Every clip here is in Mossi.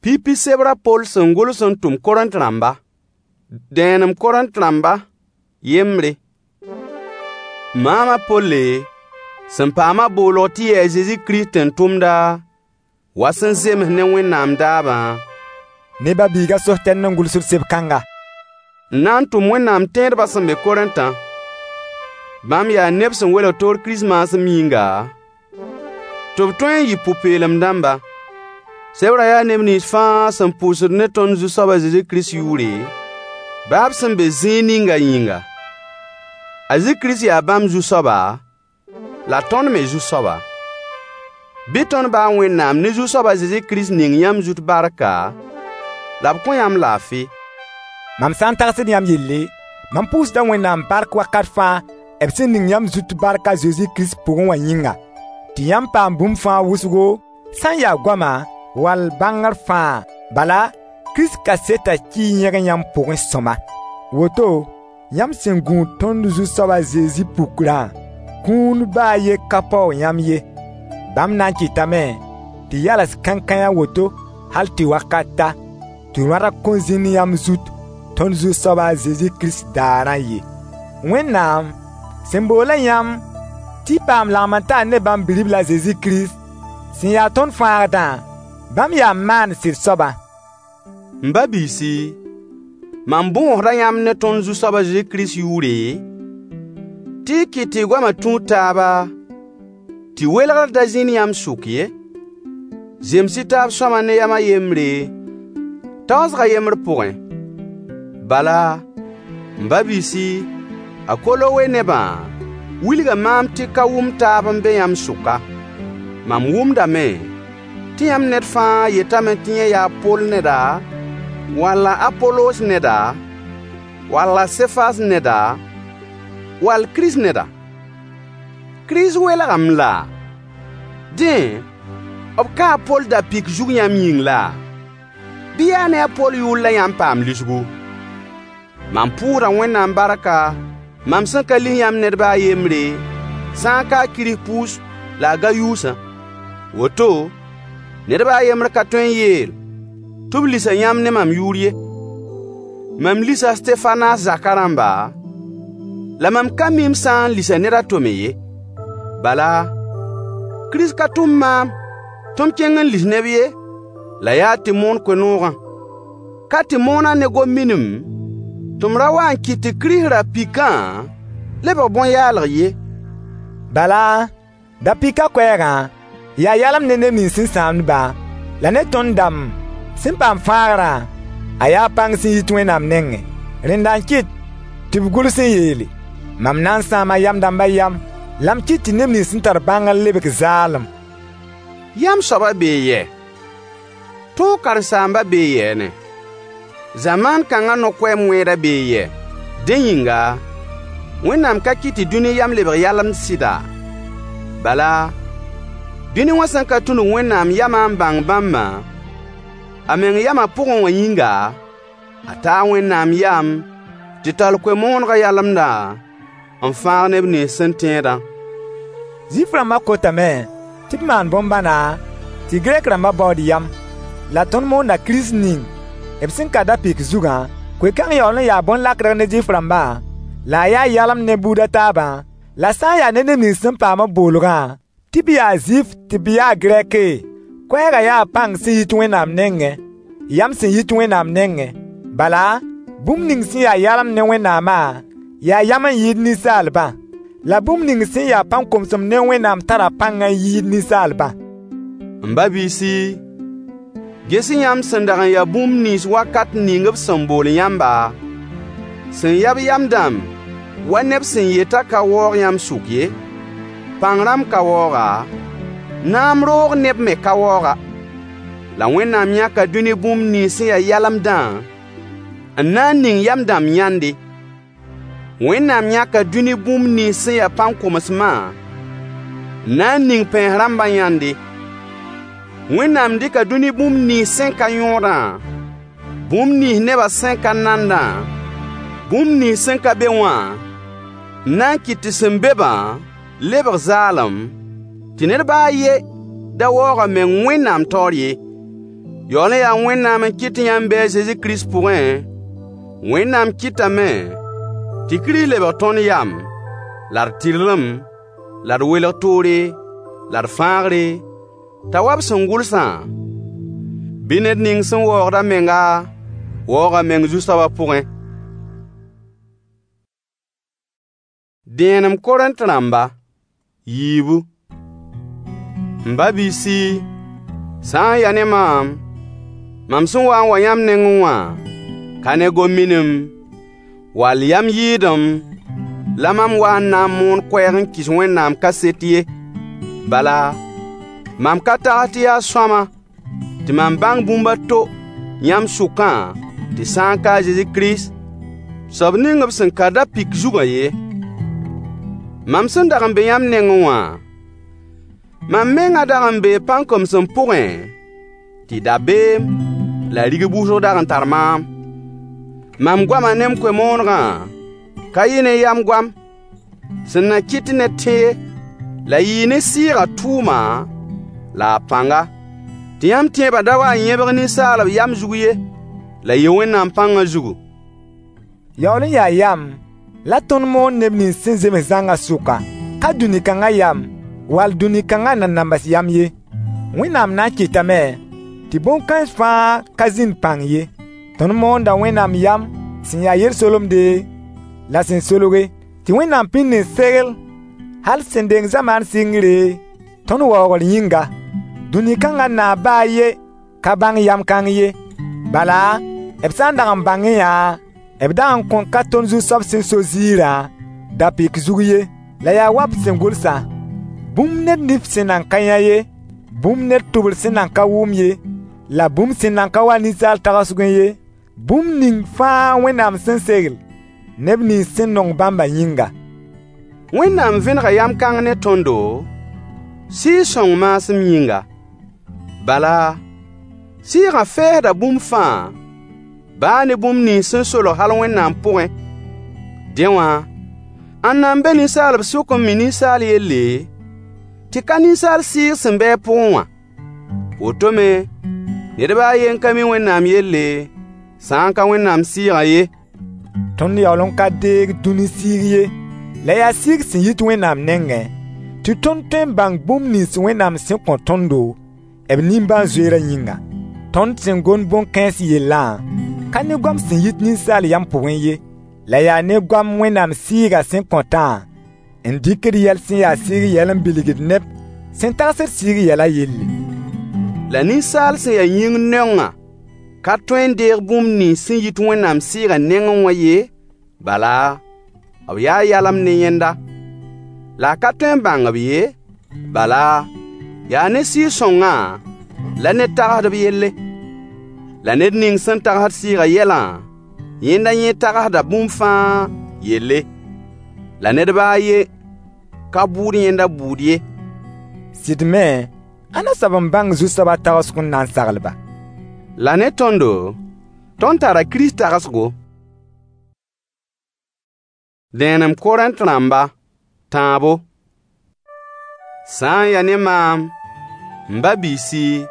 Pipi sebr a Poll sẽn gʋls n tʋm Korẽnt rãmba. Dẽenem Korẽnt rãmba yembre. Maam a Polle, sẽn paam-a boolg tɩ yɩ a Zezi Kirist tẽn-tʋmda, wa sẽn zems ne Wẽnnaam daabã, Ne ba-biig a Sostɛn n gʋlsd seb-kãnga. N na n tʋm Wẽnnaam tẽedbã sẽn be Korẽntã. Bãmb yaa neb sẽn welg toor Kirist maasem yĩnga, tɩ b tõe n yɩ pʋ-peelem dãmba. Sebrã yaa neb nins fãa sẽn pʋʋsd ne tõnd Zu-soab a Zezi Kirist yʋʋre, baa b sẽn be zĩig ninga yĩnga. A Zezi Kirist yaa bãmb Zu-soaba, la tõnd me Zu-soaba. Bɩ tõnd ba a Wẽnnaam ne Zu-soab a Zezi Kirist ning yãmb zut barka, la b kõ yãmb laafɩ. Mam sã n tagsd yãmb yelle, mam pʋʋsda Wẽnnaam bark wakat fãa b sẽn ning yãmb zut bark a Zezi Kirist pʋgẽ wã yĩnga, tɩ yãmb paam bũmb fãa wʋsgo, sã n ya goama wall bãngr fãa. Bala, Kirist kasetã kii yẽg yãmb pʋgẽ sõma. Woto, yãmb sẽn gũud tõnd Zu-soab a Zezi pukrã, kũun ba a yen ka paoog yãmb ye. Bãmb na n kɩtame tɩ yals kãenkãe a woto hal tɩ wakat ta, tɩ rõadg kõn zĩnd yãmb zut tõnd Zu-soab a Zezi Kirist daarã ye. Wẽnnaam, sẽn bool-a yãmb tɩ y paam lagem-n-taar ne bãmb Bi-ribl a Zezi Kirist, sẽn ya tõnd Fãagdã, bãmb yaa maan-sɩd soabã. M ba-biisi, mam bõosda yãmb ne tõnd Zu-soab a Zezi Kirist yʋʋre, tɩ y kɩt tɩ y goamã tũud taaba, tɩ welgr da zĩnd yãmb sʋk ye. Zems-y taab sõama ne yam a yembre, taoosg a yembr pʋgẽ. Bala, m ba-biisi, a Kolowe nebã wilga maam tɩ ka-wʋm-taab n be yãmb sʋka. Mam wʋmdame tɩ yãmb ned fãa yetame tɩ yẽ yaa a Poll neda, wall a Apolos neda, wall a Sefas neda, wall Kirist neda. Kirist welgame laa? Dẽ, b kaa a Poll da-pɩk zug yãmb yĩng laa? Bɩ yaa ne a Poll yʋʋr la yãmb paam lisgu? Mam pʋʋsda Wẽnnaam barka, mam sẽn ka lis yãmb ned ba a yembre, sã n ka a Kirispuus la a Gayuusã. Woto, ned ba a yembr ka tõe n yeel tɩ b lisa yãmb ne mam yʋʋr ye. Mam lisa a Stefanas zakã rãmba, la mam ka mi m sã n lisa ned a to me ye. Bala, Kirist ka tʋm maam tɩ m kẽng n lis neb ye, la yaa tɩ m moon koe-noogã. Ka tɩ moonã ne gom-minim, tɩ m ra wa n kɩt tɩ Kirist ra-pikã lebg bõn-yaalg ye. Bala, da-pɩkã koɛɛgã yaa yalem ne neb nins sẽn sãamd-bã, la ne tõnd dãmb sẽn paam fãagrã, a yaa pãng sẽn yit Wẽnnaam nengẽ. Rẽnda n kɩt tɩ b gʋls n yeele: Mam na n sãama yam dãmbã yam, la m kɩt tɩ neb nins sẽn tar bãngr lebg zaalem. Yam soabã bee yɛ? Tõog karen-saambã bee yɛɛne? Zamaan kãngã no-koɛɛm wẽedã bee yɛ? Dẽ yĩnga, Wẽnnaam ka kɩt tɩ dũni yam lebg yalemd sɩda? Bala, dũni wã sẽn ka tũnug Wẽnnaam yamã n bãng bãmbã, a meng yamã pʋgẽ wã yĩnga, a taa Wẽnnaam yam tɩ tall koe-moonegã yalemdã n fãag neb nins sẽn tẽedã. Zuif-rãmbã kotame tɩ b maan bõn-bãna tɩ Gɛrk rãmbã baood yam. La tõnd moonda Kirist ning b sẽn ka da-pɩk zugã. Koe-kãng yaool n yaa bõn-lakdg ne Zuif-rãmbã, la a yaa yalem ne buud a taabã, la sã n ya ne neb nins sẽn paam b boolgã, tɩ b yaa Zuif tɩ b ya Gɛrke, koɛɛgã yaa pãng sẽn yit Wẽnnaam nengẽ, yam sẽn yit Wẽnnaam nengẽ. Bala, bũmb ning sẽn ya yalem ne Wẽnnaamã yaa yam n yɩɩd ninsaalbã, la bũmb ning sẽn ya pãn-komsem ne Wẽnnaam tara pãng n yɩɩd ninsaalbã. M ba-biisi, ges-y yãmb sẽn dag n ya bũmb nins wakat ning b sẽn bool yãmba, sẽn ya-b yam dãmb wa neb sẽn yetã ka waoog yãmb sʋk ye. Pãng rãmb ka waooga, naam roog neb me ka waooga. La Wẽnnaam yãka dũni bũmb nins sẽn ya yalemdã n na n ning yam dãmb yãnde. Wẽnnaam yãka dũni bũmb nins sẽn ya pãn-komsmã n na n ning pɛɛns rãmbã yãnde. Wẽnnaam dɩka dũni bũmb nins sẽn ka yõodã, bũmb nins nebã sẽn ka nandã, bũmb nins sẽn ka be wã, n na n kɩt tɩ sẽn be-bã lebg zaalem, tɩ ned ba a yen da waoog a meng Wẽnnaam taoor ye. Yaool n yaa Wẽnnaam n kɩt tɩ yãmb bɩ a Zezi Kirist pʋgẽ, Wẽnnaam kɩtame tɩ Kirist lebg tõnd yam, la d tɩrlem, la d welg toore, la d fãagre, t'a wa b sẽn gʋlsã: Bɩ ned ning sẽn waoogd a menga waoog a meng Zu-soabã pʋgẽ. Dẽenem Korẽnt rãmba yiibu. M ba-biisi, sã n ya ne maam, mam sẽn wa n wa yãmb nengẽ wã ka ne gom-minim wall yam yɩɩdem la mam wa n na n moon koɛɛg n kɩs Wẽnnaam kaset ye. Bala, mam ka tags tɩ yaa sõama tɩ mam bãng bũmb a to yãmb sʋkã tɩ sã n ka a Zezi Kirist soab ning b sẽn ka da-pɩk zugã ye. Mam sẽn dag n be yãmb nengẽ wã, mam mengã dag n bee pãn-komsem pʋgẽ tɩ dabeem la rigb wʋsg dag n tar maam. Mam goamã ne m koe-moonegã ka yɩ ne yam goam sẽn na kɩt tɩ ned tẽ ye, la yɩɩ ne Sɩɩgã tʋʋma la a pãnga, tɩ yãmb tẽebã da wa n yẽbg ninsaalb yam zug ye, la yɩ Wẽnnaam pãngã zugu. Yaool n yaa yam la tõnd moond neb nins sẽn zems zãngã sʋka, ka dũni kãngã yam wall dũni kãngã nanambs yam ye. Wẽnnaam na n kɩtame tɩ bõn-kãens fãa ka zĩnd pãng ye. Tõnd moonda Wẽnnaam yam sẽn ya yel-solemde la sẽn solge, tɩ Wẽnnaam pĩnd n segl hal sẽn deng zamaan sɩngre, tõnd waoogr yĩnga. Dũni kãngã naab ba a yen ka bãng yam kãng ye. Bala, b sã n dag n bãngẽ yã, b dag n kõn ka tõnd Zu-soab sẽn so ziirã da-pɩk zug ye. La yaa wa b sẽn gʋlsã: Bũmb ned nif sẽn nan ka yã ye, bũmb ned tʋbr sẽn nan ka wʋm ye, la bũmb sẽn nan ka wa ninsaal tagsgẽ ye, bũmb ning fãa Wẽnnaam sẽn segl neb nins sẽn nong bãmbã yĩnga. Wẽnnaam vẽnega yam kãng ne tõndo, Sɩɩg-sõng maasem yĩnga. Bala, Sɩɩgã fɛɛsda bũmb fãa, baa ne bũmb nins sẽn solg hal Wẽnnaam pʋgẽ. Dẽ wã, ãnna n be ninsaalb sʋk n mi ninsaal yelle, tɩ ka ninsaal sɩɩg sẽn be a pʋgẽ wã? Woto me, ned ba a yen ka mi Wẽnnaam yelle, sã n ka Wẽnnaam Sɩɩgã ye. Tõnd yaool n ka deeg dũni sɩɩg ye, la yaa sɩɩg sẽn yit Wẽnnaam nengẽ, tɩ tõnd tõe n bãng bũmb nins Wẽnnaam sẽn kõ tõndo, b nimbãan-zoeerã yĩnga. Tõnd sẽn gomd bõn-kãens yellã ka ne goam sẽn yit ninsaal yam pʋgẽ ye, la yaa ne goam Wẽnnaam Sɩɩgã sẽn kõtã n dɩkd yɛl sẽn ya sɩɩg yɛl n bilgd neb sẽn tagsd sɩɩg yɛlã yelle. La ninsaal sẽn ya yĩng naongã ka tõe n deeg bũmb nins sẽn yit Wẽnnaam Sɩɩgã nengẽ wã ye, bala, b yaa yalem ne yẽnda. La a ka tõe n bãng-b ye, bala, yaa ne Sɩɩg-sõngã la ned tagsd b yelle. La ned ning sẽn tagsd Sɩɩgã yɛlã, yẽnda yẽ tagsda bũmb fãa yelle. La ned ba a yen ka bʋʋd yẽnda bʋʋd ye. Sɩd me, ãnna soab n bãng Zu-soabã tagsg n na n sagl-ba? La ne tõndo, tõnd tara Kirist tagsgo. Dẽenem Korẽnt rãmba, tãabo. Sã n ya ne maam, m ba-biisi,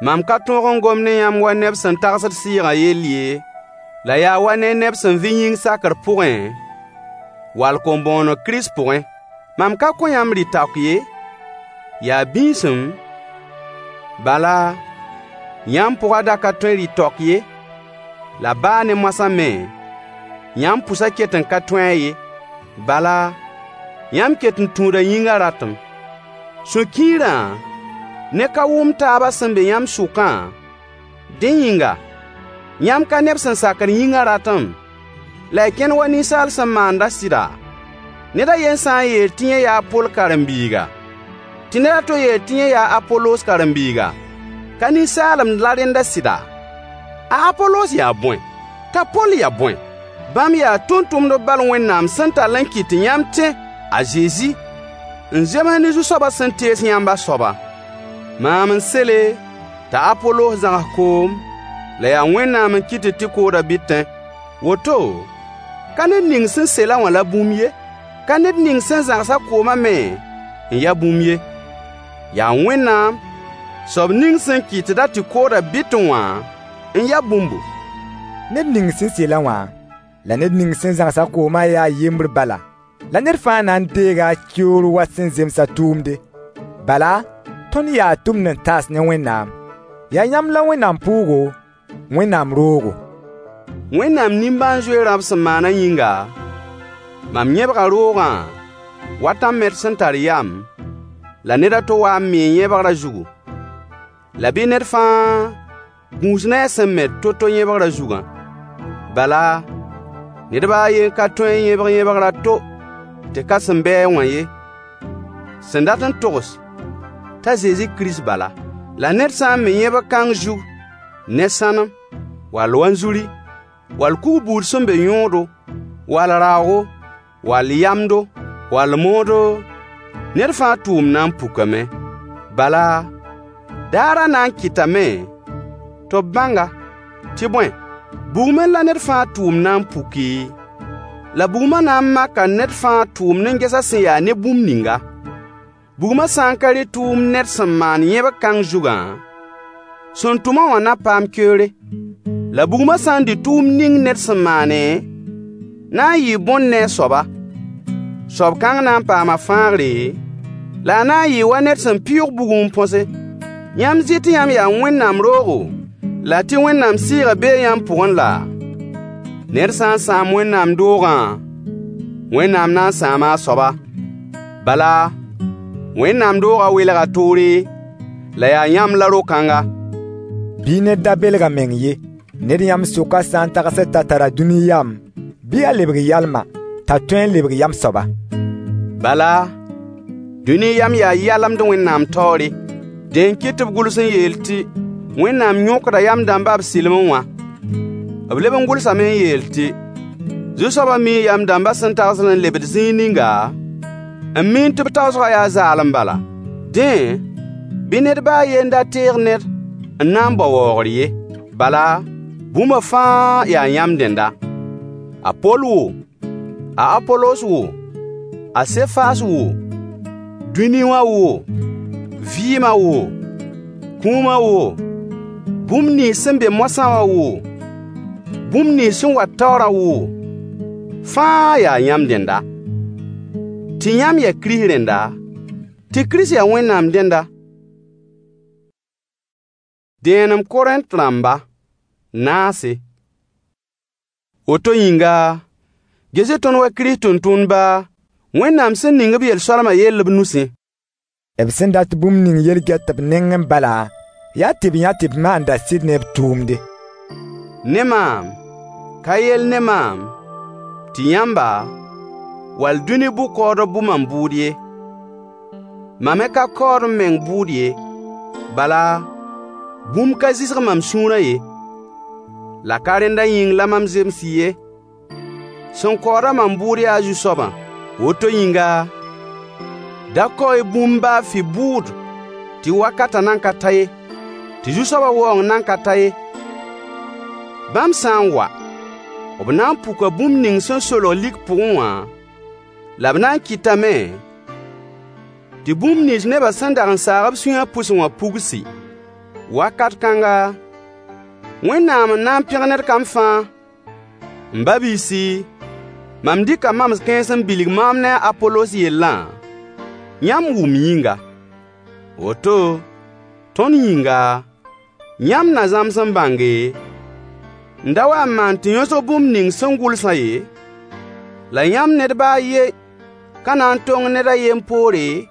mam ka tõog n gom ne yãmb wa neb sẽn tagsd Sɩɩgã yell ye, la yaa wa ne neb sẽn vɩ yĩng sakr pʋgẽ, wall kom-bõoneg Kirist pʋgẽ. Mam ka kõ yãmb rɩ-taook ye, yaa bĩisem, bala, yãmb pʋgã da ka tõe rɩ-taook ye, la baa ne moasã me, yãmb pʋsã ket n ka tõe-a ye. Bala, yãmb ket n tũuda yĩngã ratem. Sũ-kiirã ne ka wʋm taabã sẽn be yãmb sʋkã, dẽ yĩnga, yãmb ka neb sẽn sakd yĩngã ratem, la y kẽnd wa ninsaal sẽn maandã sɩda? Ned a yen sã n yeel tɩ yẽ yaa a Poll karen-biiga, tɩ ned a to yeel tɩ yẽ yaa a Apolos karen-biiga, ka ninsaalem la rẽnda sɩda? A Apolos yaa bõe? T'a Poll ya bõe? Bãmb yaa tʋmtʋmdb bal Wẽnnaam sẽn tall n kɩt tɩ yãmb tẽ a Zezi n zems ne Zu-soabã sẽn tees yãmb a soaba. Maam n sele t'a Apolos zãgs koom, la yaa Wẽnnaam n kɩt tɩ koodã bɩtẽ. Woto, ka ned ning sẽn sel-a wã la bũmb ye, ka ned ning sẽn zãgs-a koomã me n ya bũmb ye. Yaa Wẽnnaam Soab ning sẽn kɩtd-a tɩ koodã bɩtẽ wã n ya bũmbu. Ned ning sẽn sel-a wã, la ned ning sẽn zãgs-a koomã yaa yembr bala, la ned fãa na n deega a keoor wa sẽn zems a tʋʋmde. Bala, tõnd yaa tʋmd-n-taas ne Wẽnnaam. Yaa yãmb la Wẽnnaam pʋʋgo, Wẽnnaam roogo. Wẽnnaam nimbãan-zoe rãb sẽn maanã yĩnga, mam yẽbga roogã wa tãn-met sẽn tar yam, la ned a to wa n mee yẽbgrã zugu. La bɩ ned fãa gũus ne a sẽn met to-to yẽbgrã zugã. Bala, ned ba a yen ka tõe n yẽbg yẽbgr a to tɩ ka sẽn bɩ-a wã ye, sẽn dat n togs t'a Zezi Kirist bala. La ned sã n me yẽbg kãng zug ne sãnem, wall wanzuri, wall kug buud sẽn be yõodo, wall raoogo, wall yamdo, wall moodo, ned fãa tʋʋmd na n pukame. Bala, daarã na n kɩtame tɩ b bãng-a. Tɩ bõe, bugmẽ la ned fãa tʋʋmd na n puki, la bugmã na n maka ned fãa tʋʋmd n ges a sẽn ya ne bũmb ninga. Bugmã sã n ka rɩ tʋʋmd ned sẽn maan yẽbg kãng zugã, sẽn tʋm-a wã na paam keoore. La bugmã sã n dɩ tʋʋmd ning ned sẽn maane, na n yɩɩ bõn ne a soaba. Soab kãng na n paama fãagre, la a na n yɩɩ wa ned sẽn pɩʋʋg bugẽ n põse. Yãmb zɩ tɩ yãmb yaa Wẽnnaam roogo, la tɩ Wẽnnaam Sɩɩgã bee yãmb pʋgẽ laa? Ned sã n sãam Wẽnnaam doogã, Wẽnnaam na n sãama a soaba. Bala, Wẽnnaam doogã welga toore, la yaa yãmb la ro-kãnga. Bɩ ned da belg a meng ye. Ned yãmb sʋkã sã n tagsd t'a tara dũni yam, bɩ a lebg yalma, t'a tõe n lebg yam soaba. Bala, dũni yam yaa yalemd Wẽnnaam taoore. Dẽ n kɩt tɩ b gʋls n yeel tɩ: Wẽnnaam yõkda yam dãmba b sɩlemẽ wã. B leb n gʋlsame n yeel tɩ: Zu-soabã mii yam dãmbã sẽn tagsd n lebd zĩig ninga, n miẽ tɩ b taoosgã yaa zaalem bala. Dẽ, bɩ ned ba a yen da teeg ned n na n bao waoogr ye. Bala, bũmba fãa yaa yãmb dẽnda. A Poll woo, a Apolos woo, a Sefas woo, dũni wã woo, vɩɩmã woo, kũumã woo, bũmb nins sẽn be moasã wã woo, bũmb nins sẽn wat taoorã woo, fãa yaa yãmb dẽnda. Tɩ yãmb yaa Kirist rẽnda, tɩ Kirist ya Wẽnnaam dẽnda. Dẽenem Korẽnt rãmba, naase. Woto yĩnga, ges-y tõnd wa Kirist tʋmtʋmdba, Wẽnnaam sẽn ning b yel-soalmã yell b nusẽ. B sẽn dat bũmb ning yel-gɛt b nengẽ bala, yaa tɩ b yã tɩ b maanda sɩd ne b tʋʋmde. Ne maam, ka yell ne maam, tɩ yãmba, wall dũni bʋ-kaoodb bʋ mam bʋʋd ye. Mam me ka kaood m meng bʋʋd ye. Bala, bũmb ka zɩsg mam sũurã ye. La ka rẽndã yĩng la mam zems ye. Sẽn kaood-a mam bʋʋd yaa Zu-soabã. Woto yĩnga, da kao-y bũmb baa fɩ bʋʋd tɩ wakatã nan ka ta ye, tɩ Zu-soabã waoong nan ka ta ye. Bãmb sã n wa, b na n puka bũmb ning sẽn solg lik pʋgẽ wã, la b na n kɩtame tɩ bũmb nins nebã sẽn dag n saag b sũyã pʋsẽ wã pugsi. Wakat kãnga, Wẽnnaam n na n pẽg ned kam fãa. M ba-biisi, mam dɩka mams kãens n bilg maam ne a Apolos yellã, yãmb wʋm yĩnga. Woto, tõnd yĩnga, yãmb na zãms n bãnge, n da wa n maan tɩ yõsg bũmb ning sẽn gʋlsã ye, la yãmb ned ba a yen ka na n tong ned a yen poore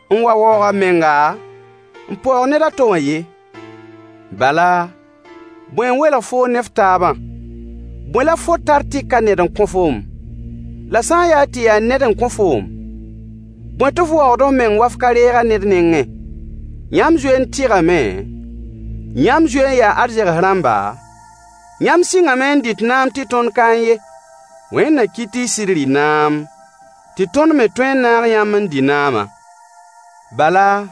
n wa waoog a menga n paoog ned a to wã ye. Bala, bõe n welg foo ne f taabã? Bõe la fo tar tɩ ka ned n kõ foom? La sã n yaa tɩ yaa ned n kõ foom, bõe tɩ f waoogd f meng wa f ka reeg-a ned nengẽ? Yãmb zoe n tɩgame, yãmb zoe n yaa arzegs rãmba, yãmb sɩngame n dɩt naam tɩ tõnd kaẽ ye. Wẽnd na kɩt tɩ y sɩd rɩ naam, tɩ tõnd me tõe n naag yãmb n dɩ naamã. Bala,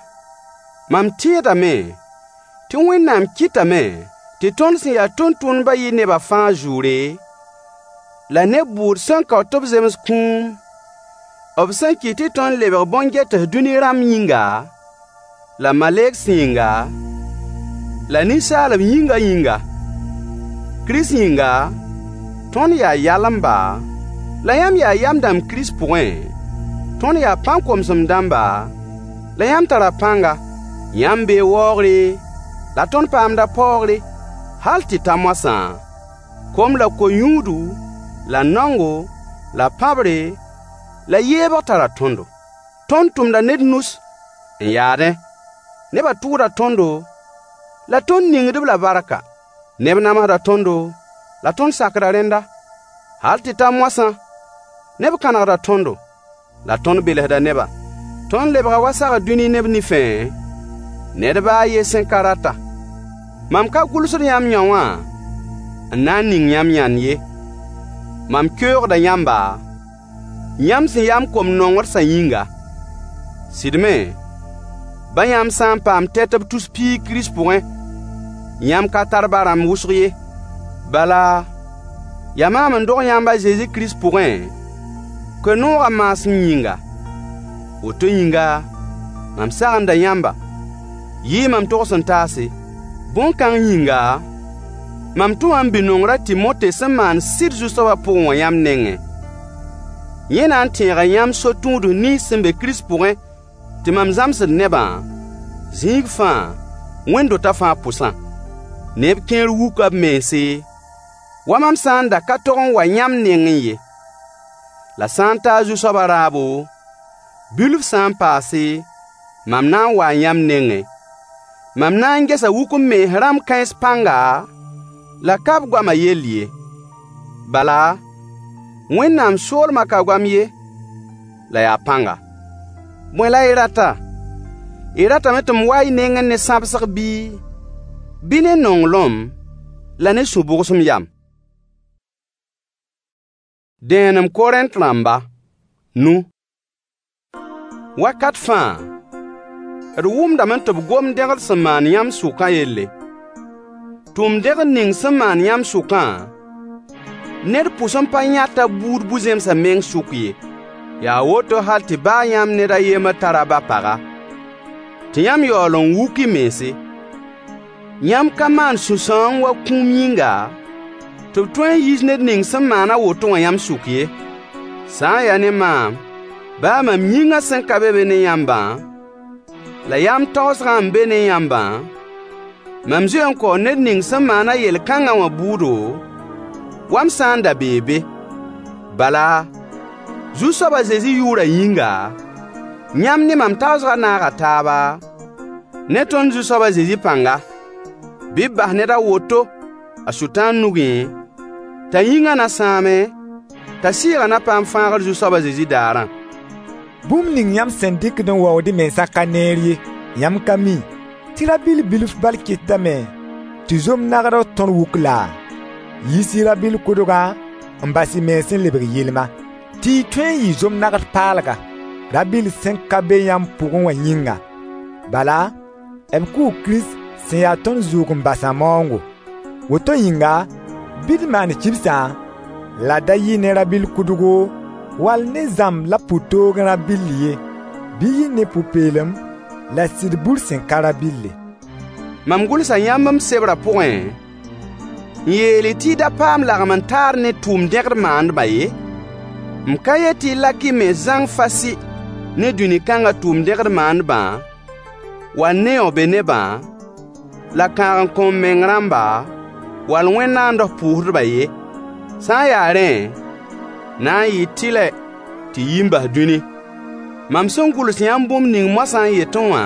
mam tẽedame tɩ Wẽnnaam kɩtame tɩ tõnd sẽn ya tʋmtʋmdbã yɩ nebã fãa zʋʋre, la neb bʋʋd sẽn kao tɩ b zems kũum, b sẽn kɩt tɩ tõnd lebg bõn-gɛts dũni rãmb yĩnga, la malegsẽ yĩnga, la ninsaalb yĩngã yĩnga. Kirist yĩnga, tõnd yaa yalemba, la yãmb yaa yam dãmb Kirist pʋgẽ, tõnd yaa pãn-komsem dãmba, la yãmb tara pãnga. Yãmb bee waoogre, la tõnd paamda paoogre. Hal tɩ ta moasã, kom la ko-yũudu, la naongo, la pãbre, la yeebg tara tõndo. Tõnd tʋmda ne d nus n yaadẽ. Nebã tʋʋda tõndo, la tõnd ningd-b la barka. Neb namsda tõndo, la tõnd sakda rẽnda. Hal tɩ ta moasã, neb kãnegda tõndo, la tõnd belsda nebã. Tõnd lebga wa sagr dũni neb nifẽ, ned ba a yen sẽn ka rata. Mam ka gʋlsd yãmb yão wã n na n ning yãmb yãnd ye. Mam keoogda yãmba, yãmb sẽn ya m kom-nongersã yĩnga. Sɩd me, ba yãmb sã n paam tɛt b tus piig Kirist pʋgẽ, yãmb ka tar ba-rãmb wʋsg ye. Bala, yaa maam n dog yãmb a Zezi Kirist pʋgẽ, koe-noogã maasem yĩnga. Woto yĩnga, mam sagenda yãmba. Yɩɩ mam togs-n-taase. Bõn-kãng yĩnga, mam tʋma m bi-nongr a Timote sẽn maan sɩd Zu-soabã pʋgẽ wã yãmb nengẽ. Yẽ na n tẽega yãmb so-tũuds nins sẽn be Kirist pʋgẽ tɩ mam zãmsd nebã, zĩig fãa, wẽnd-dotã fãa pʋsã. Neb kẽer wuka b mense, wa mam sã n da ka tog n wa yãmb nengẽ ye. La sã n ta a Zu-soabã raabo, bilf sã n paase, mam na n waa yãmb nengẽ. Mam na n gesa wuk-m-mens rãmb kãens pãnga, la ka b goamã yell ye. Bala, Wẽnnaam soolmã ka goam ye, la yaa pãnga. Bõe la y rata? Y ratame tɩ m wa y nengẽ ne sãbsg bɩ, bɩ ne nonglem la ne sũ-bʋgsem yam? Dẽenem Korẽnt rãmba, nu. Wakat fãa, d wʋmdame tɩ b gomd dẽgd sẽn maan yãmb sʋkã yelle. Tʋʋm-dẽgd ning sẽn maan yãmb sʋkã, ned pʋs n pa yãt a buud bu-zẽmsã meng sʋk ye. Yaa woto hal tɩ baa yãmb ned a yembr tara ba-paga, tɩ yãmb yaool n wuk y mense. Yãmb ka maan sũ-sãoong wa kũum yĩnga, tɩ b tõe n yiis ned ning sẽn maan a woto wã yãmb sʋk ye. Sã n ya ne maam, baa mam yĩngã sẽn ka be be ne yãmbã, la yaa m taoosgã n be ne yãmbã, mam zoe n kao ned ning sẽn maan-a yel-kãngã wã bʋʋdo, wa m sã n da bee be. Bala, Zu-soab a Zezi yʋʋrã yĩnga, yãmb ne mam taoosgã naaga taaba, ne tõnd Zu-soab a Zezi pãnga. Bɩ b bas ned a woto a Sʋtãan nugẽ, t'a yĩngã na sãame, t'a sɩɩgã na paam fãagr Zu-soab a Zezi daarã. Bũmb ning yãmb sẽn dɩkd n waood y mensã ka neer ye. Yãmb ka mi tɩ rabɩll bilf bal kɩtdame tɩ zom-nagdg tõr wuk laa? Yiis-y rabɩll kʋdgã n bas y mens n lebg yɩlma, tɩ y tõe n yɩ zom-nagd paalga, rabɩll sẽn ka be yãmb pʋgẽ wã yĩnga. Bala, b kʋʋ Kirist sẽn ya tõnd zʋʋg-n-basã maoongo. Woto yĩnga, bɩ d maan kibsã, la da yɩ ne rabɩll kʋdgo, wall ne zãmb la pʋ-toogẽ rabɩll ye, bɩ yɩ ne pʋ-peelem la sɩd bur sẽn ka rabɩlle. Mam gʋlsa yãmb m sebrã pʋgẽ n yeel-y tɩ y da paam lagem-n-taar ne tʋʋm-dẽgd maandbã ye. M ka yet tɩ y lak y mens zãng fasɩ ne dũni kãngã tʋʋm-dẽgd maandbã, wall ne yão-be-nebã, la kãag-n-kõ-m-meng rãmba, wall wẽn-naands pʋʋsdbã ye. Sã n ya rẽ, na n yɩɩ tɩlɛ tɩ y yi n bas dũni. Mam sẽn gʋls yãmb bũmb ning moasã n yetẽ wã,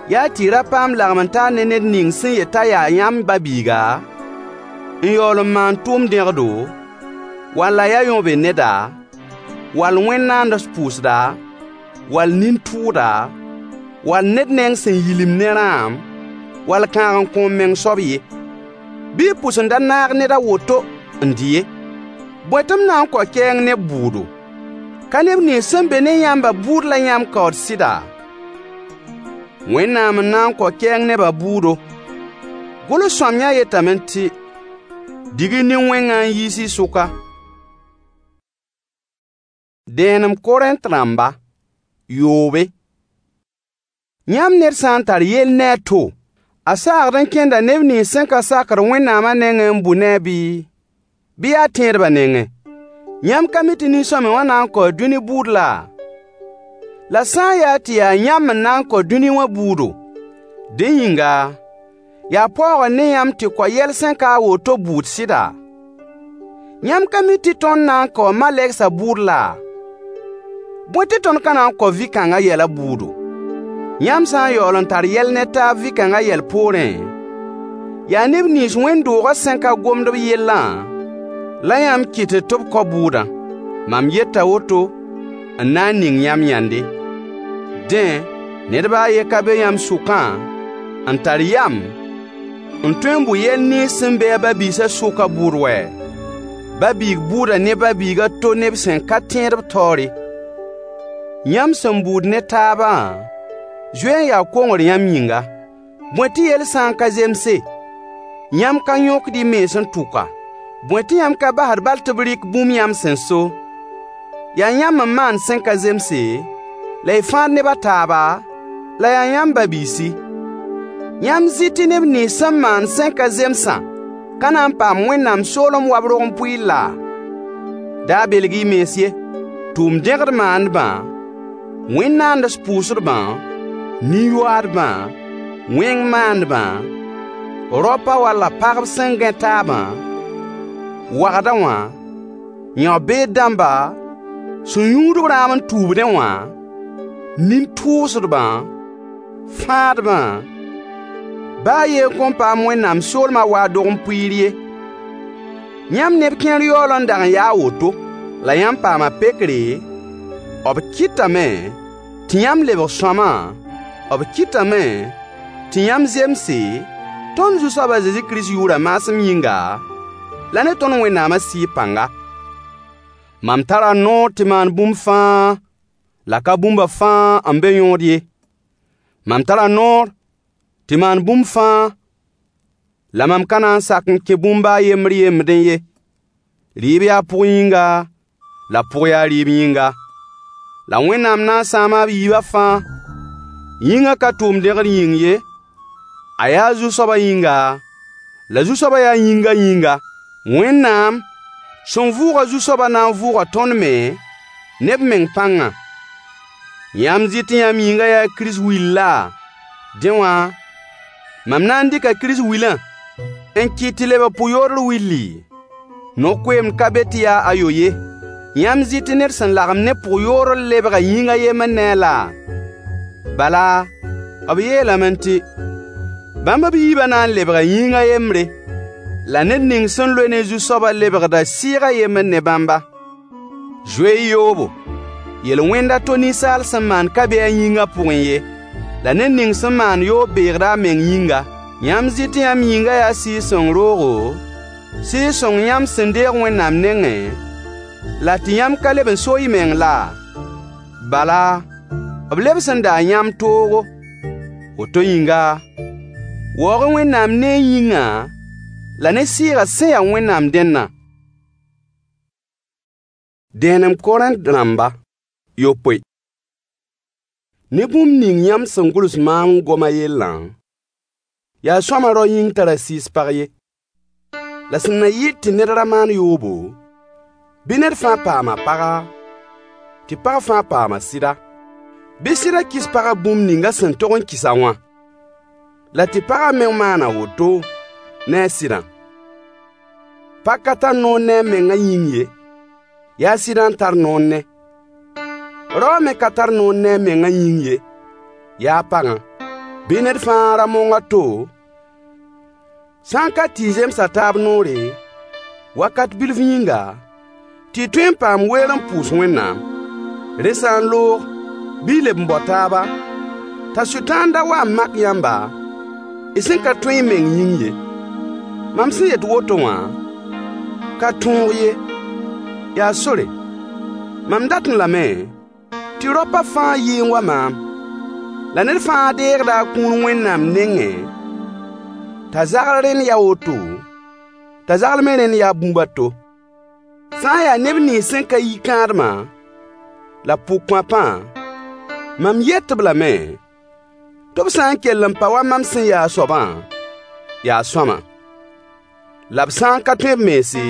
yaa tɩ y ra paam lagem-n-taar ne ned ning sẽn yet t'a yaa yãmb ba-biiga, n yaool n maan tʋʋm-dẽgdo, wall a yaa yõbed-neda, wall wẽn-naands pʋʋsda, wall nin-tʋʋda, wall ned neng sẽn yilimd ne rãam, wall kãag-n-kõ-m-meng soab ye. Bɩ y pʋs n da naag ned a woto n dɩ ye. Bõe tɩ m na n kao kɛɛng neb bʋʋdo? Ka neb nins sẽn be ne yãmbã bʋʋd la yãmb kaood sɩda? Wẽnnaam n na n kao kɛɛng nebã bʋʋdo. Gʋls-sõamyã yetame tɩ: Dig-y nin-wẽngã n yiis y sʋka. Dẽenem Korẽnt rãmba, yoobe. Yãmb ned sã n tar yell ne a to, a saagd n kẽnda neb nins sẽn ka sakd Wẽnnaamã nengẽ n bʋ ne-a bɩ? Bɩ yaa tẽedbã nengẽ? Yãmb ka mi tɩ nin-sõamy wã na n kaoo dũni bʋʋd laa? La sã n yaa tɩ yaa yãmb n na n kao dũni wã bʋʋdo, dẽ yĩnga, yaa paoogr ne yãmb tɩ kao yɛl sẽn ka a woto bʋʋd sɩda? Yãmb ka mi tɩ tõnd na n kaoo malegsã bʋʋd laa? Bõe tɩ tõnd ka na n kao vɩ-kãngã yɛlã bʋʋdo? Yãmb sã n yaool n tar yɛl ne taab vɩ-kãngã yɛl poorẽ, yaa neb nins wẽnd-doogã sẽn ka gomd b yellã la yãmb kɩtd tɩ b kao bʋʋdã. Mam yeta woto n na n ning yãmb yãnde. Dẽ, ned baa a yen ka be yãmb sʋkã n tar yam n tõe n bʋ yɛl nins sẽn be a ba-biisã sʋkã bʋʋd wɛ? Ba-biig bʋʋda ne ba-biig a to neb sẽn ka tẽed b taoore. Yãmb sẽn bʋʋd ne taabã zoe n yaa kongr yãmb yĩnga. Bõe tɩ yell sã n ka zemse, yãmb ka yõkd y mens n tʋka? Bõe tɩ yãmb ka basd bal tɩ b rɩk bũmb yãmb sẽn so? Yaa yãmb n maand sẽn ka zemse, la y fãad neb a taaba, la yaa yãmb ba-biisi. Yãmb zɩ tɩ neb nins sẽn maand sẽn ka zemsã ka na n paam Wẽnnaam soolem wa b rog-n-pʋɩɩr laa? Da belg-y y mens ye. Tʋʋm-dẽgd maandbã, wẽn-naands pʋʋsdbã, nin-yoaadbã, wẽng maandbã, raopa walla pagb sẽn gãe taabã, wagda wã, yão-beed dãmba, sẽn yũud b rãam n tuubdẽ wã, nin-tʋʋsdbã, fãadbã, baa a yen kõn paam Wẽnnaam soolmã wa a dog-n-pʋɩɩr ye. Yãmb neb kẽer yaool n dag n yaa a woto. La yãmb paama pekre, b kɩtame tɩ yãmb lebg sõama, b kɩtame tɩ yãmb zemse, tõnd Zu-soab a Zezi Kirist yʋʋrã maasem yĩnga, la ne tõnd Wẽnnaamã Sɩɩg pãnga. Mam tara noor tɩ maan bũmb fãa, la ka bũmba fãa n be yõod ye. Mam tara noor tɩ maan bũmb fãa, la mam ka na n sak n kẽ bũmb baa a yembr yembdẽ ye. Rɩɩb yaa pʋg yĩnga, la pʋg yaa rɩɩb yĩnga. La Wẽnnaam na n sãama b yiibã fãa. Yĩngã ka tʋʋm-dẽgd yĩng ye, a yaa Zu-soabã yĩnga, la Zu-soabã yaa yĩngã yĩnga. Wẽnnaam sẽn vʋʋg Zu-soabã na n vʋʋga tõnd me ne b meng pãngã. Yãmb zɩ tɩ yãmb yĩngã yaa Kirist will laa? Dẽ wã, mam na n dɩka Kirist wilã n kɩt tɩ lebg pʋ-yoodr willi? No-koeemd ka be tɩ yaa ayo ye. Yãmb zɩ tɩ ned sẽn lagem ne pʋg-yoodr lebga yĩng a yembr ne-a laa? Bala, b yeelame tɩ: Bãmb b yiibã na n lebga yĩng a yembre. La ned ning sẽn loe ne Zu-soabã lebgda sɩɩg a yembr ne bãmba. Zoe-y yoobo. Yel-wẽnd a to ninsaal sẽn maan ka be a yĩngã pʋgẽ ye. La ned ning sẽn maan yoob beegda a meng yĩnga. Yãmb zɩ tɩ yãmb yĩngã yaa Sɩɩg-sõng roogo, Sɩɩg-sõng yãmb sẽn deeg Wẽnnaam nengẽ, la tɩ yãmb ka leb n so y meng laa? Bala, b lebs n daa yãmb toogo. Woto yĩnga, waoog-y Wẽnnaam ne y yĩngã la ne sɩɩgã sẽn ya Wẽnnaam dẽndã. Dẽenem Korẽnt rãmba yopoe. Ne bũmb ning yãmb sẽn gʋls maam n gom a yellã, yaa sõama rao yĩng t'a ra sɩɩs pag ye. La sẽn na yɩl tɩ ned ra maan yoobo, bɩ ned fãa paam a paga, tɩ pag fãa paam a sɩda. Bɩ sɩdã kɩs pagã bũmb ning a sẽn tog n kɩs-a wã, la tɩ pagã me maan a woto ne a sɩdã. Pag ka tar noor ne a mengã yĩng ye, yaa sɩdã n tar noor ne. Rao me ka tar noor ne a mengã yĩng ye, yaa pagã. Bɩ ned fãa ra mong a to, sã n ka tɩ y zems a taab noore, wakat bilf yĩnga, tɩ y tõe n paam weer n pʋʋs Wẽnnaam. Rẽ sã n loog, bɩ y leb n bao taaba, t'a Sʋtãan da wa n mak yãmba, y sẽn ka tõe y meng yĩng ye. Mam sẽn yet woto wã, ka tõog ye, yaa sore. Mam datẽ lame tɩ raopã fãa yɩ n wa maam. La ned fãa deegda a kũun Wẽnnaam nengẽ, t'a zagl rẽnd yaa woto, t'a zagl me rẽnd yaa bũmb a to. Sã n yaa neb nins sẽn ka yi kãadmã, la pʋgkõapã, mam yet-b lame Tɩ b sã n kell n pa wa mam sẽn ya a soabã, yaa sõama. La b sã n ka tõe b mense,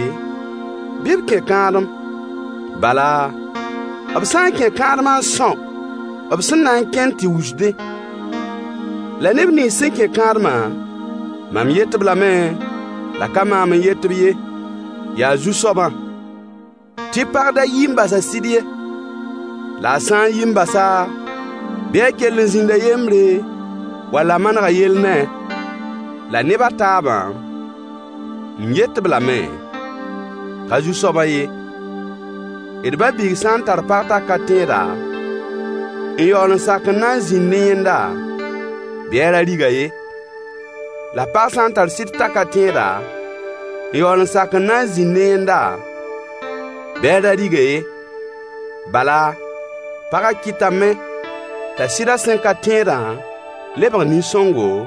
bɩ b kẽ kãadem. Bala, b sã n kẽ kãadmã n são b sẽn na n kẽnd tɩ wusdẽ. La neb nins sẽn kẽ kãadmã, mam yet-b lame, la ka maam n yet-b ye, yaa Zu-soabã, tɩ pag da yi n bas a sɩd ye. La a sã n yi n bas-a, bɩ a kell n zĩnd a yembre, wall a maneg a yell ne-a. La neb a taabã, m yet-b lame, ka Zu-soabã ye: D ba-biig sã n tar pag t'a ka tẽeda, n yaool n sak n na n zĩnd ne yẽnda, bɩ a ra rig-a ye. La pag sã n tar sɩd t'a ka tẽeda, n yaool n sak n na n zĩnd ne yẽnda, bɩ a ra rig-a ye. Bala, pagã kɩtame t'a sɩdã sẽn ka tẽedã lebg nin-sõngo,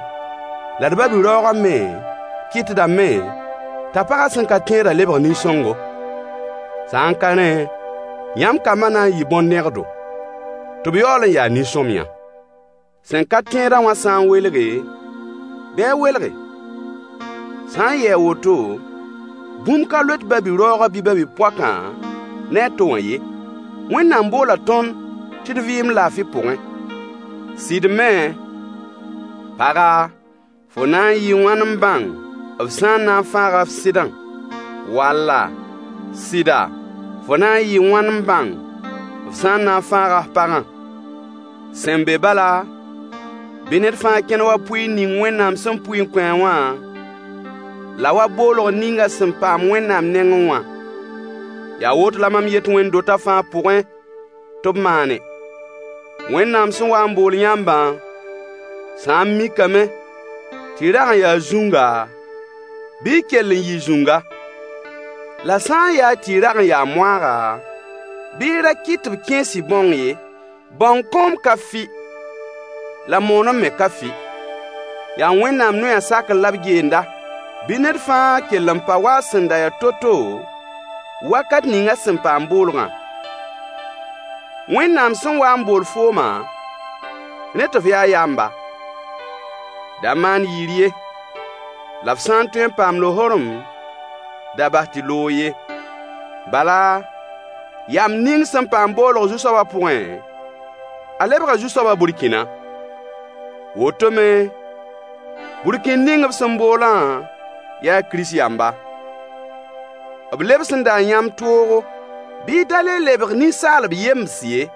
la d ba-bi-raoogã me kɩtdame t'a pagã sẽn ka tẽedã lebg nin-sõngo. Sã n ka rẽ, yãmb kambã na n yɩ bõn-dẽgdo, tɩ b yaool n yaa nin-sõmyã. Sẽn ka tẽedã wã sã n welge, bɩ a welge. Sã n yɩ a woto, bũmb ka loet ba-bi-raoogã bɩ ba-bi-poakã ne a to wã ye. Wẽnnaam boola tõnd tɩ d vɩɩm laafɩ pʋgẽ. Sɩd me, paga, fo na n yɩɩ wãn n bãng f sã n na n fãaga f sɩdã? Walla, sɩda, fo na n yɩɩ wãn n bãng f sã n na n fãaga f pagã? Sẽn be bala, bɩ ned fãa kẽn wa pʋɩɩr ning Wẽnnaam sẽn pʋɩ n kõ-a wã, la wa boolg ning a sẽn paam Wẽnnaam nengẽ wã. Yaa woto la mam yet wẽnd-dotã fãa pʋgẽ tɩ b maane. Wẽnnaam sẽn wa n bool yãmbã sã n mikame tɩ y rag n yaa zũnga, bɩ y kell n yɩ zũnga. La sã n yaa tɩ y rag n yaa moaaga, bɩ y ra kɩt tɩ b kẽes y bãong ye. Bãong kõom ka fɩ, la moonem me ka fɩ. Yaa Wẽnnaam noyã sakr la b geenda. Bɩ ned fãa kell n pa wa a sẽn da ya to-to wakat ning a sẽn paam boolgã. Wẽnnaam sẽn wa n bool foomã, rẽ tɩ f yaa yamba. Da maan yir ye, la f sã n tõe n paam lohorem, da bas tɩ loog ye. Bala, yamb ning sẽn paam boolg Zu-soabã pʋgẽ, a lebga Zu-soabã burkĩna. Woto me, burkĩnd ning b sẽn boolã yaa Kirist yamba. B lebsẽnda yãmb toogo. Bɩ y da le lebg ninsaalb yems ye.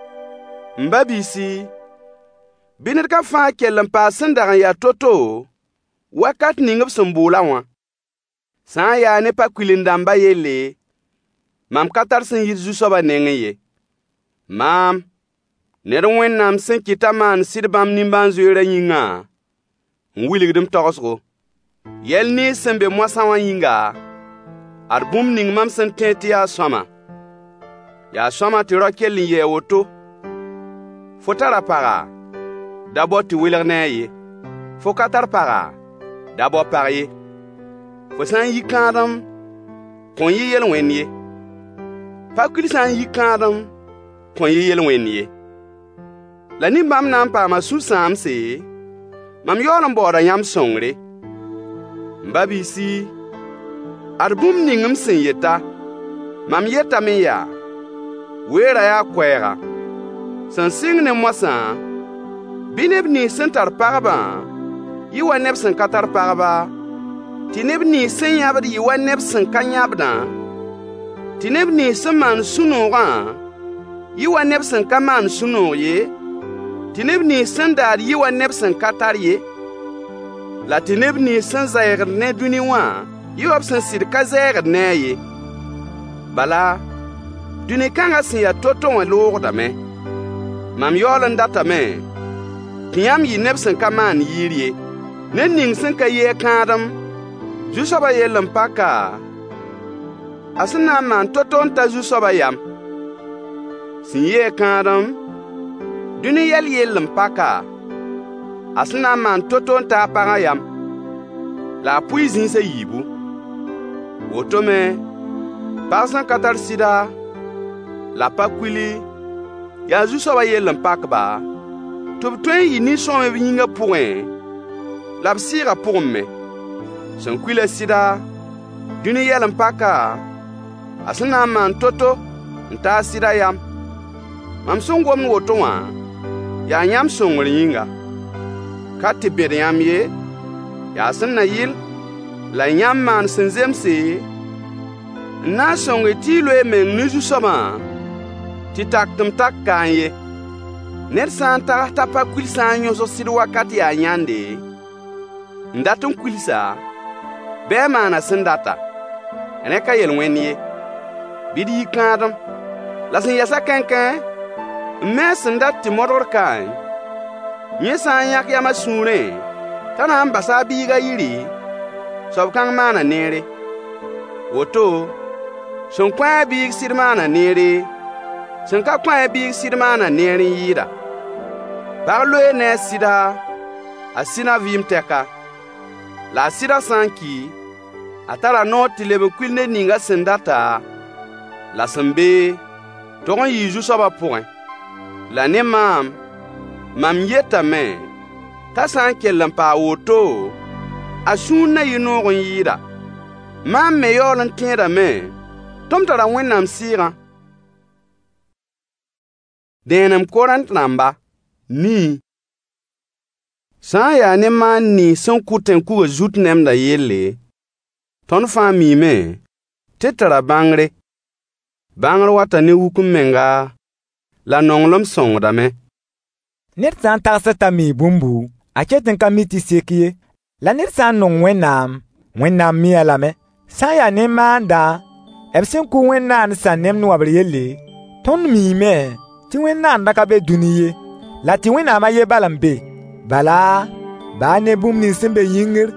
M ba-biisi, bɩ ned kam fãa kell n pa a sẽn dag n ya to-to wakat ning b sẽn bool-a wã. Sã n yaa ne pa-kuil-dãmbã yelle, mam ka tar sẽn yit Zu-soabã nengẽ ye. Maam, ned Wẽnnaam sẽn kɩt t'a maan sɩd bãmb nimbãan-zoeerã yĩngã, n wilgd m tagsgo. Yɛl nins sẽn be moasã wã yĩnga, ad bũmb ning mam sẽn tẽed tɩ yaa sõama, yaa sõama tɩ rao kell n yɩ a woto. Fo tara paga? Da bao tɩ welg ne-a ye. Fo ka tar paga? Da bao pag ye. Fo sã n yi kãadem, kõn yɩ yel-wẽnd ye. Pa-kuil sã n yi kãadem, kõn yɩ yel-wẽnd ye. La ne bãmb na n paama sũ-sãamse, mam yaool n baooda yãmb sõngre. M ba-biisi, ad bũmb ning m sẽn yeta, mam yetame yaa: weerã yaa koɛɛga. Sẽn sɩng ne moasã, bɩ neb nins sẽn tar pagbã yɩ wa neb sẽn ka tar pagba, tɩ neb nins sẽn yãbd yɩ wa neb sẽn ka yãbdã, tɩ neb nins sẽn maand sũ-noogã yɩ wa neb sẽn ka maand sũ-noog ye, tɩ neb nins sẽn daad yɩ wa neb sẽn ka tar ye, la tɩ neb nins sẽn zɛɛgd ne dũni wã yɩ wa b sẽn sɩd ka zɛɛgd ne-a ye. Bala, dũni kãngã sẽn ya to-to wã loogdame. Mam yaool n datame tɩ yãmb yɩ neb sẽn ka maan yɩɩr ye. Ned ning sẽn ka yi a kãadem, Zu-soabã yell n pak-a, a sẽn na n maan to-to n ta Zu-soabã yam. Sẽn yi-a kãadem, dũni yɛl yell n pak-a, a sẽn na n maan to-to n ta a pagã yam. La a pʋɩ zĩis a yiibu. Woto me, pag sẽn ka tar sɩda, la pa-kuili, yaa Zu-soabã yell n pak-ba, tɩ b tõe n yɩ nin-sõamy b yĩngã pʋgẽ la b sɩɩgã pʋgẽ me. Sẽn kuilã sɩda, dũni yɛl-n-paka, a sẽn na n maan to-to n ta a sɩdã yam. Mam sẽn gomd woto wã, yaa yãmb sõngr yĩnga. Ka tɩ bẽd yãmb ye, yaa sẽn na yɩl la yãmb maan sẽn zemse, n na n sõng-y tɩ y loe y meng ne Zu-soabã tɩ tak-tɩ-m-tak kaẽ ye. Ned sã n tags t'a pa kuil sã n yõsg sɩd wakat yaa yãnde, n dat n kuils-a, bɩ a maan a sẽn data. Rẽ ka yel-wẽnd ye. Bɩ d yi kãadem. La sẽn yɛs-a kãenkãe, m mens sẽn dat tɩ modgr kaẽ, yẽ sã n yãk yam a sũurẽ t'a na n basa a biigã yiri, soab kãng maana neere. Woto, sẽn kõ a biig sɩd maana neere, sẽn ka kõ a biig sɩd maana neer n yɩɩda. Pag loee ne a sɩda, a sɩdã vɩɩm tɛka. La a sɩdã sã n ki, a tara noor tɩ leb n kuil ned ning a sẽn data, la sẽn bee, tog n yɩɩ Zu-soabã pʋgẽ. La ne maam, mam yetame t'a sã n kell n paa woto, a sũur na yɩ noog n yɩɩda. Maam me yaool n tẽedame tɩ m tara Wẽnnaam Sɩɩgã. Dẽenem Korẽnt rãmba, nii. Sã n yaa ne maan nins sẽn kʋ tẽn-kugã zut nemdã yelle, tõnd fãa miime tɩ d tara bãngre. Bãngr wata ne wuk-m-menga, la nonglem sõngdame. Ned sã n tagsd t'a mii bũmbu, a ket n ka mi tɩ sek ye. La ned sã n nong Wẽnnaam, Wẽnnaam mii-a lame. Sã n yaa ne maandã, b sẽn kʋ wẽn-naandsã nemd wãbr yelle, tõnd miime tɩ wẽn-naandã ka be dũni ye, la tɩ Wẽnnaam a yen bal n be. Bala, baa ne bũmb nins sẽn be yĩngr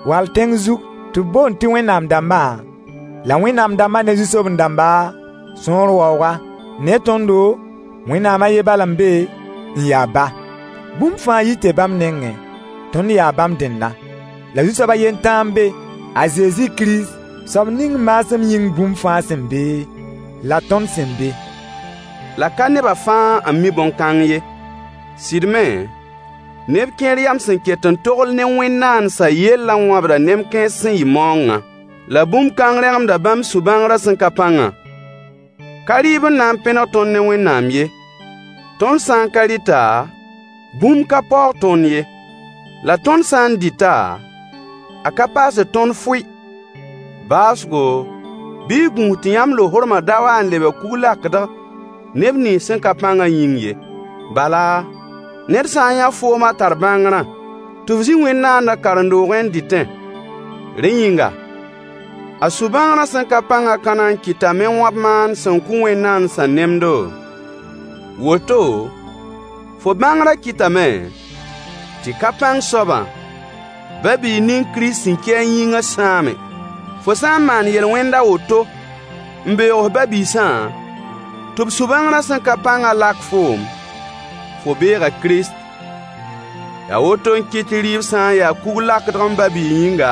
wall tẽng zug tɩ b boond tɩ Wẽnnaam dãmbã, la Wẽnnaam dãmbã ne zu-soben-dãmba, sõor waooga. Ne tõndo, Wẽnnaam a yen bal n be, n ya Ba. Bũmb fãa yita bãmb nengẽ, tõnd yaa bãmb dẽnna. La Zu-soab a yen tãa n be, a Zezi Kirist, soab ning maasem yĩng bũmb fãa sẽn be, la tõnd sẽn be. La ka nebã fãa n mi bõn-kãng ye. Sɩd me, neb kẽer yam sẽn ket n togl ne wẽn-naandsã yellã wãbda nem-kãens sẽn yɩ maoongã. La bũmb kãng rẽgemda bãmb sũ-bãngrã sẽn ka pãngã. Ka rɩɩb n na n pẽneg tõnd ne Wẽnnaam ye. Tõnd sã n ka rɩta, bũmb ka paoog tõnd ye. La tõnd sã n dɩta, a ka paasd tõnd fʋɩ. Baoosgo, bɩ y gũus tɩ yãmb lohormã da wa n lebg kug-lakdg neb nins sẽn ka pãngã yĩng ye. Bala, ned sã n yã foom a tar bãngrã, tɩ f zĩ wẽn-naandã karen-doogẽ n dɩtẽ, rẽ yĩnga, a sũ-bãngrã sẽn ka pãngã ka na n kɩtame n wãb maan sẽn kʋ wẽn-naandsã nemdo? Woto, fo bãngrã kɩtame tɩ ka pãng soabã, ba-biig ning Kirist sẽn ki a yĩngã sãame. Fo sã n maan yel-wẽnd a woto n beoog f ba-biisã, tɩ b sũ-bãngrã sẽn ka pãngã lak foom, fo beega Kirist. Yaa woto n kɩt tɩ rɩɩb sã n yaa kug-lakdg m ba-biig yĩnga,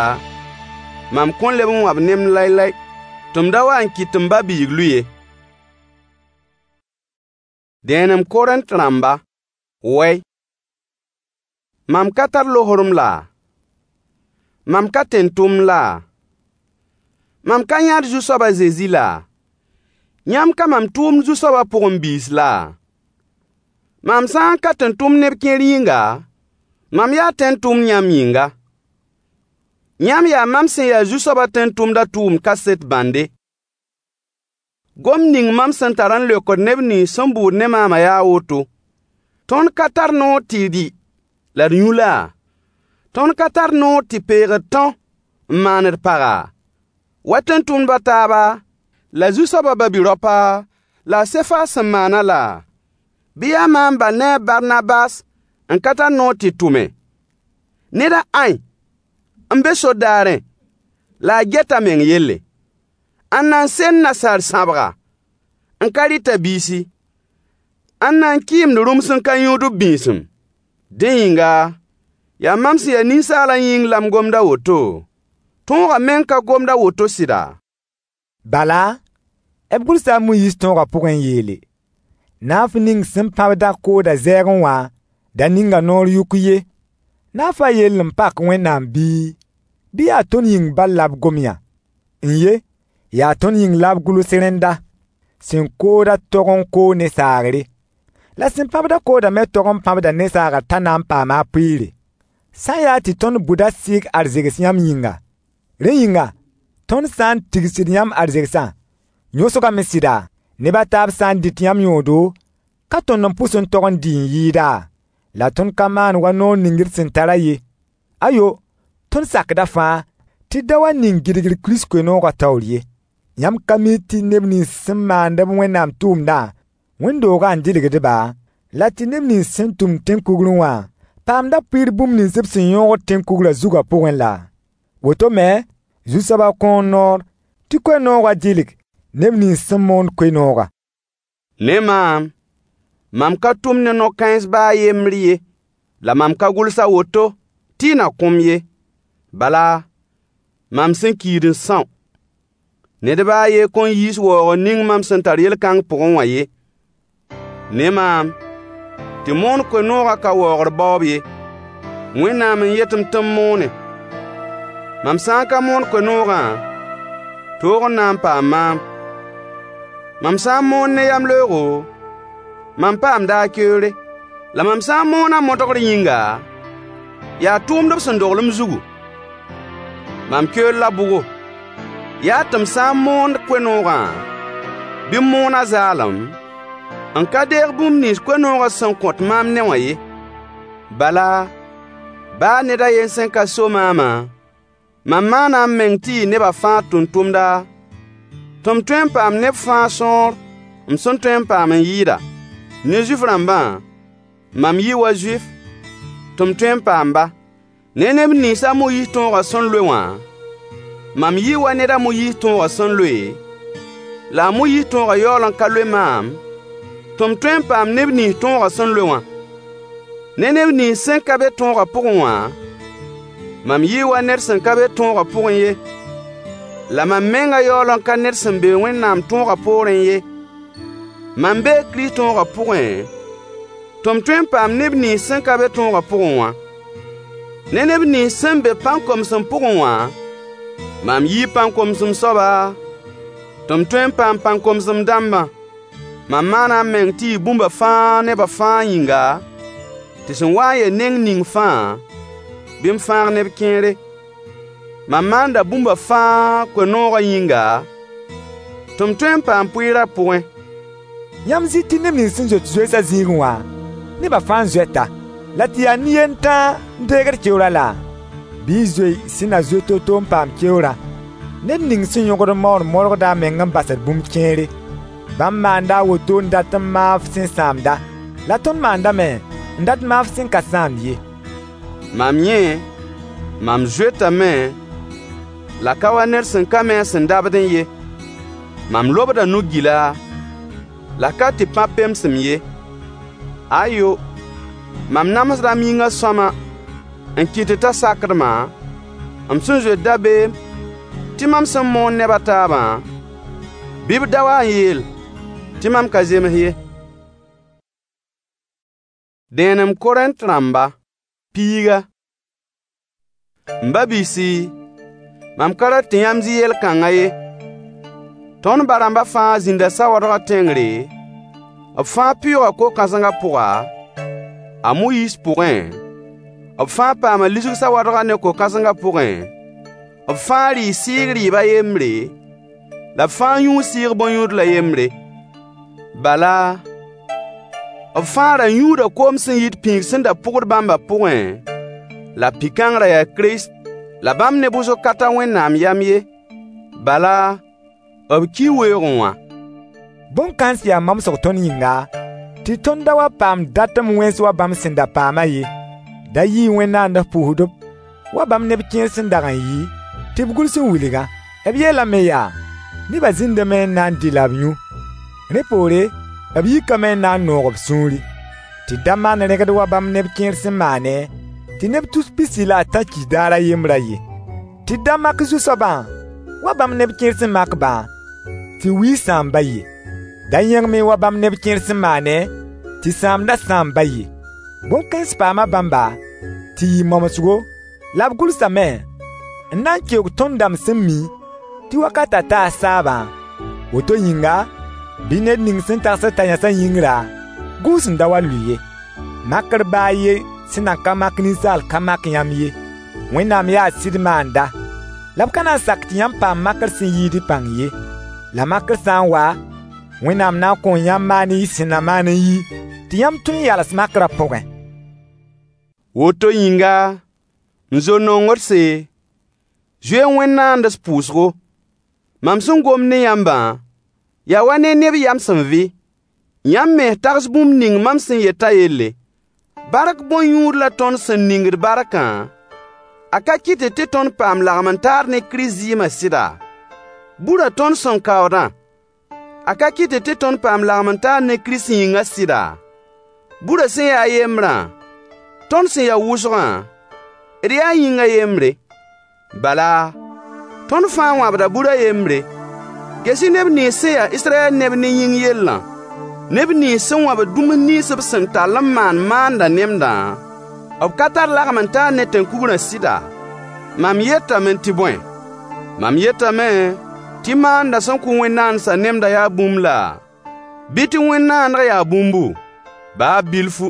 mam kõn leb n wãb nemd laylay, tɩ m da wa n kɩt tɩ m ba-biig lʋɩ ye. Dẽenem Korẽnt rãmba, wɛy. Mam ka tar lohorem laa? Mam ka tẽn-tʋmd laa? Mam ka yãad Zu-soab a Zezi laa? Yãmb ka mam tʋʋmd Zu-soabã pʋgẽ biis laa? Mam sã n ka tẽn-tʋmd neb kẽer yĩnga, mam yaa tẽn-tʋmd yãmb yĩnga. Yãmb yaa mam sẽn ya Zu-soabã tẽn-tʋmdã tʋʋmd kaset bãnde. Gomd ning mam sẽn tar n leokd neb nins sẽn bʋʋd ne maamã yaa a woto: Tõnd ka tar noor tɩ dɩ la d yũ laa? Tõnd ka tar noor tɩ peeg d tão n maan d paga? Wa tẽn-tʋmdb a taaba, la Zu-soabã ba-bi-raopa, la a Sefas sẽn maanã laa? Bɩ yaa maam bal ne a Barnabas n ka tar noor tɩ tʋme? Ned a ãe n be sor-daarẽ la a get a meng yelle? Ãnna n send nasaar sãbga n ka rɩt a biisi? Ãnna n kɩɩmd rũms n ka yũud b bĩisem? Dẽ yĩnga, yaa mam sẽn ya ninsaalã yĩng la m gomd a woto? Tõogã meng ka gomd a woto sɩda? Bala, b gʋlsa a Moyiis tõogã pʋgẽ n yeele: Naaf ning sẽn pãbd-a koodã zɛɛgẽ wã, Da ning a noor yʋk ye. Naafã yell n pak Wẽnnaam bii, bɩ yaa tõnd yĩng bal la b gom yã? N-ye, yaa tõnd yĩng la b gʋls rẽnda, sẽn koodã tog n koog ne saagre. La sẽn pãbd-a koodã me tog n pãbda ne saagr t'a na n paama a pʋɩɩre. Sã n yaa tɩ tõnd bʋdã sɩɩg arzegs yãmb yĩnga, rẽ yĩnga, tõnd sã n tigsd yãmb arzegsã, yõsgame sɩda? Neb a taab sã n dɩt yãmb yõodo, ka tõnd n pʋs n tog n dɩ n yɩɩda? La tõnd ka maan wa noor ning d sẽn tarã ye. Ayo, tõnd sakda fãa, tɩ d da wa ning gɩdgr Kirist koe-noogã taoor ye. Yãmb ka mi tɩ neb nins sẽn maand-b Wẽnnaam tʋʋmdã, wẽnd-doogã n dɩlgd-ba, la tɩ neb nins sẽn tʋmd tẽn-kugrẽ wã paamda pʋɩɩr bũmb nins b sẽn yõogd tẽn-kugrã zugã pʋgẽ laa? Woto me, Zu-soabã kõo noor tɩ koe-noogã dɩlg neb nins sẽn moond koe-noogã. Ne maam, mam ka tʋm ne no-kãens baa a yembr ye, la mam ka gʋls a woto tɩ y na kõ-m ye. Bala, mam sẽn kiid n são. Ned ba a yen kõn yiis waoogr ning mam sẽn tar yel-kãng pʋgẽ wã ye. Ne maam, tɩ moon koe-noogã ka waoogr baoob ye. Wẽnnaam n yet-m tɩ m moone. Mam sã n ka moon koe-noogã, toog n na n paam maam. Mam sã n moon ne yamleoogo, mam paamda a keoore. La mam sã n moonã modgr yĩnga, yaa tʋʋmd b sẽn dogl m zugu. Mam keoor la bʋgo? Yaa tɩ m sã n moond koe-noogã, bɩ m moon a zaalem, n ka deeg bũmb nins koe-noogã sẽn kõt maam ne wã ye. Bala, baa ned a yen sẽn ka so maamã, mam maana m meng tɩ yɩ neba fãa tʋmtʋmda, tɩ m tõe n paam neb fãa sõor m sẽn tõe n paam n yɩɩda. Ne Zuif-rãmbã, mam yɩ wa Zuif, tɩ m tõe n paam-ba. Ne neb nins a Moyiis tõogã sẽn loe wã, mam yɩ wa ned a Moyiis tõogã sẽn loe, la a Moyiis tõogã yaool n ka loe maam, tɩ m tõe n paam neb nins tõogã sẽn loe wã. Ne neb nins sẽn ka be tõogã pʋgẽ wã, mam yɩ wa ned sẽn ka be tõogã pʋgẽ ye. La mam mengã yaool n ka ned sẽn be Wẽnnaam tõogã poorẽ ye. Mam bee Kirist tõogã pʋgẽ, tɩ m tõe n paam neb nins sẽn ka be tõogã pʋgẽ wã. Ne neb nins sẽn be pãn-komsem pʋgẽ wã, mam yii pãn-komsem soaba, tɩ m tõe n paam pãn-komsem dãmbã. Mam maana m meng tɩ yɩ bũmba fãa neba fãa yĩnga, tɩ sẽn wa n ya neng ning fãa, bɩ m fãag neb kẽere. Mam maanda bũmba fãa koe-noogã yĩnga, tɩ m tõe n paam pʋɩɩr a pʋgẽ. Yãmb zɩ tɩ neb nins sẽn zoet zoeesã zĩigẽ wã, nebã fãa n zoeta, la tɩ yaa nin-yend tãa n deegd keoorã laa? Bɩ y zoe sẽn na zoe to-to n paam keoorã. Ned ning sẽn yõgd maoor modgda a meng n basd bũmb kẽere. Bãmb maanda a woto n dat n maaf sẽn sãamda, la tõnd maandame n dat maaf sẽn ka sãamd ye. Mam yẽ, mam zoetame, la ka wa ned sẽn ka mi a sẽn dabdẽ ye. Mam lobda nu-gila, la ka tɩ pãb pemsem ye. Ayo, mam namsda m yĩngã sõama n kɩtd t'a sakd-ma, m sẽn zoet dabeem tɩ mam sẽn moon neb a taabã, bɩ b da wa n yeel tɩ mam ka zems ye. Dẽenem Korẽnt rãmba, piiga. M ba-biisi, mam ka rat tɩ yãmb zɩ yel-kãngã ye. Tõnd ba-rãmbã fãa zĩnda sawadgã tẽngre, b fãa pɩʋʋga ko-kãsengã pʋga, a Moyiis pʋgẽ, b fãa paama lisg sawadgã ne ko-kãsengã pʋgẽ, b fãa rɩɩ sɩɩg rɩɩb a yembre, la b fãa yũu sɩɩg bõn-yũudl a yembre. Bala, b fãa ra yũuda koom sẽn yit pĩig sẽn da pʋgd bãmbã pʋgẽ, la pi-kãng ra yaa Kirist. La bãmb neb wʋsg ka tar Wẽnnaam yam ye. Bala, b kii weoogẽ wã. Bõn-kãens yaa mamsg tõnd yĩnga, tɩ tõnd da wa paam datem wẽns wa bãmb sẽn da paamã ye. Da yɩɩ wẽn-naand pʋʋsdb, wa bãmb neb kẽer sẽn dag n yɩ, tɩ b gʋls n wilgã. B yeelame yaa: Nebã zĩndame n na n dɩ la b yũ. Rẽ poore, b yikame n na n noog b sũuri. Tɩ d da maan rẽgd wa bãmb neb kẽer sẽn maane, tɩ neb tus pisi la a tã ki daar a yembrã ye. Tɩ d da mak Zu-soabã wa bãmb neb kẽer sẽn mak-bã, tɩ wiis sãam ba ye. Da yẽgem-y wa bãmb neb kẽer sẽn maane, tɩ sãamdã sãam ba ye. Bõn-kãens paama bãmba tɩ yɩ momsgo, la b gʋlsame n na n keoog tõnd dãmb sẽn mi tɩ wakatã taa saabã. Woto yĩnga, bɩ ned ning sẽn tagsd t'a yãsã yĩngrã gũus n da wa lʋɩ ye. Makr ba a yen sẽn nan ka mak ninsaal ka mak yãmb ye. Wẽnnaam yaa sɩd maanda, la b ka na n sak tɩ yãmb paam makr sẽn yiid y pãng ye. La makr sã n wa, Wẽnnaam na n kõo yãmb maan y sẽn na maan n yi, tɩ yãmb tõe n yals makrã pʋgẽ. Woto yĩnga, m zo-nongdse, zoe-y wẽn-naands pʋʋsgo. Mam sẽn gomd ne yãmbã yaa wa ne neb yam sẽn vɩ. Yãmb mens tags bũmb ning mam sẽn yetã yelle. Bark bõn-yũud la tõnd sẽn ningd barkã, a ka kɩtd tɩ tõnd paam lagem-n-taar ne Kirist zɩɩmã sɩda? Burã tõnd sẽn kaoodã, a ka kɩtd tɩ tõnd paam lagem-n-taar ne Kirist yĩngã sɩda? Burã sẽn ya a yembrã, tõnd sẽn ya wʋsgã, d yaa yĩngã yembre. Bala, tõnd fãa wãbda bur a yembre. Ges-y neb nins sẽn ya Israyɛl neb ne yĩng yellã. Neb nins sẽn wãbd dũms nins b sẽn tall n maan maandã nemdã, b ka tar lagem-n-taar ne tẽn-kugrã sɩda? Mam yetame tɩ bõe? Mam yetame tɩ maandã sẽn kʋ wẽn-naandsã nemdã yaa bũmb laa? Bɩ tɩ wẽn-naandg yaa bũmbu? Baa bilfu.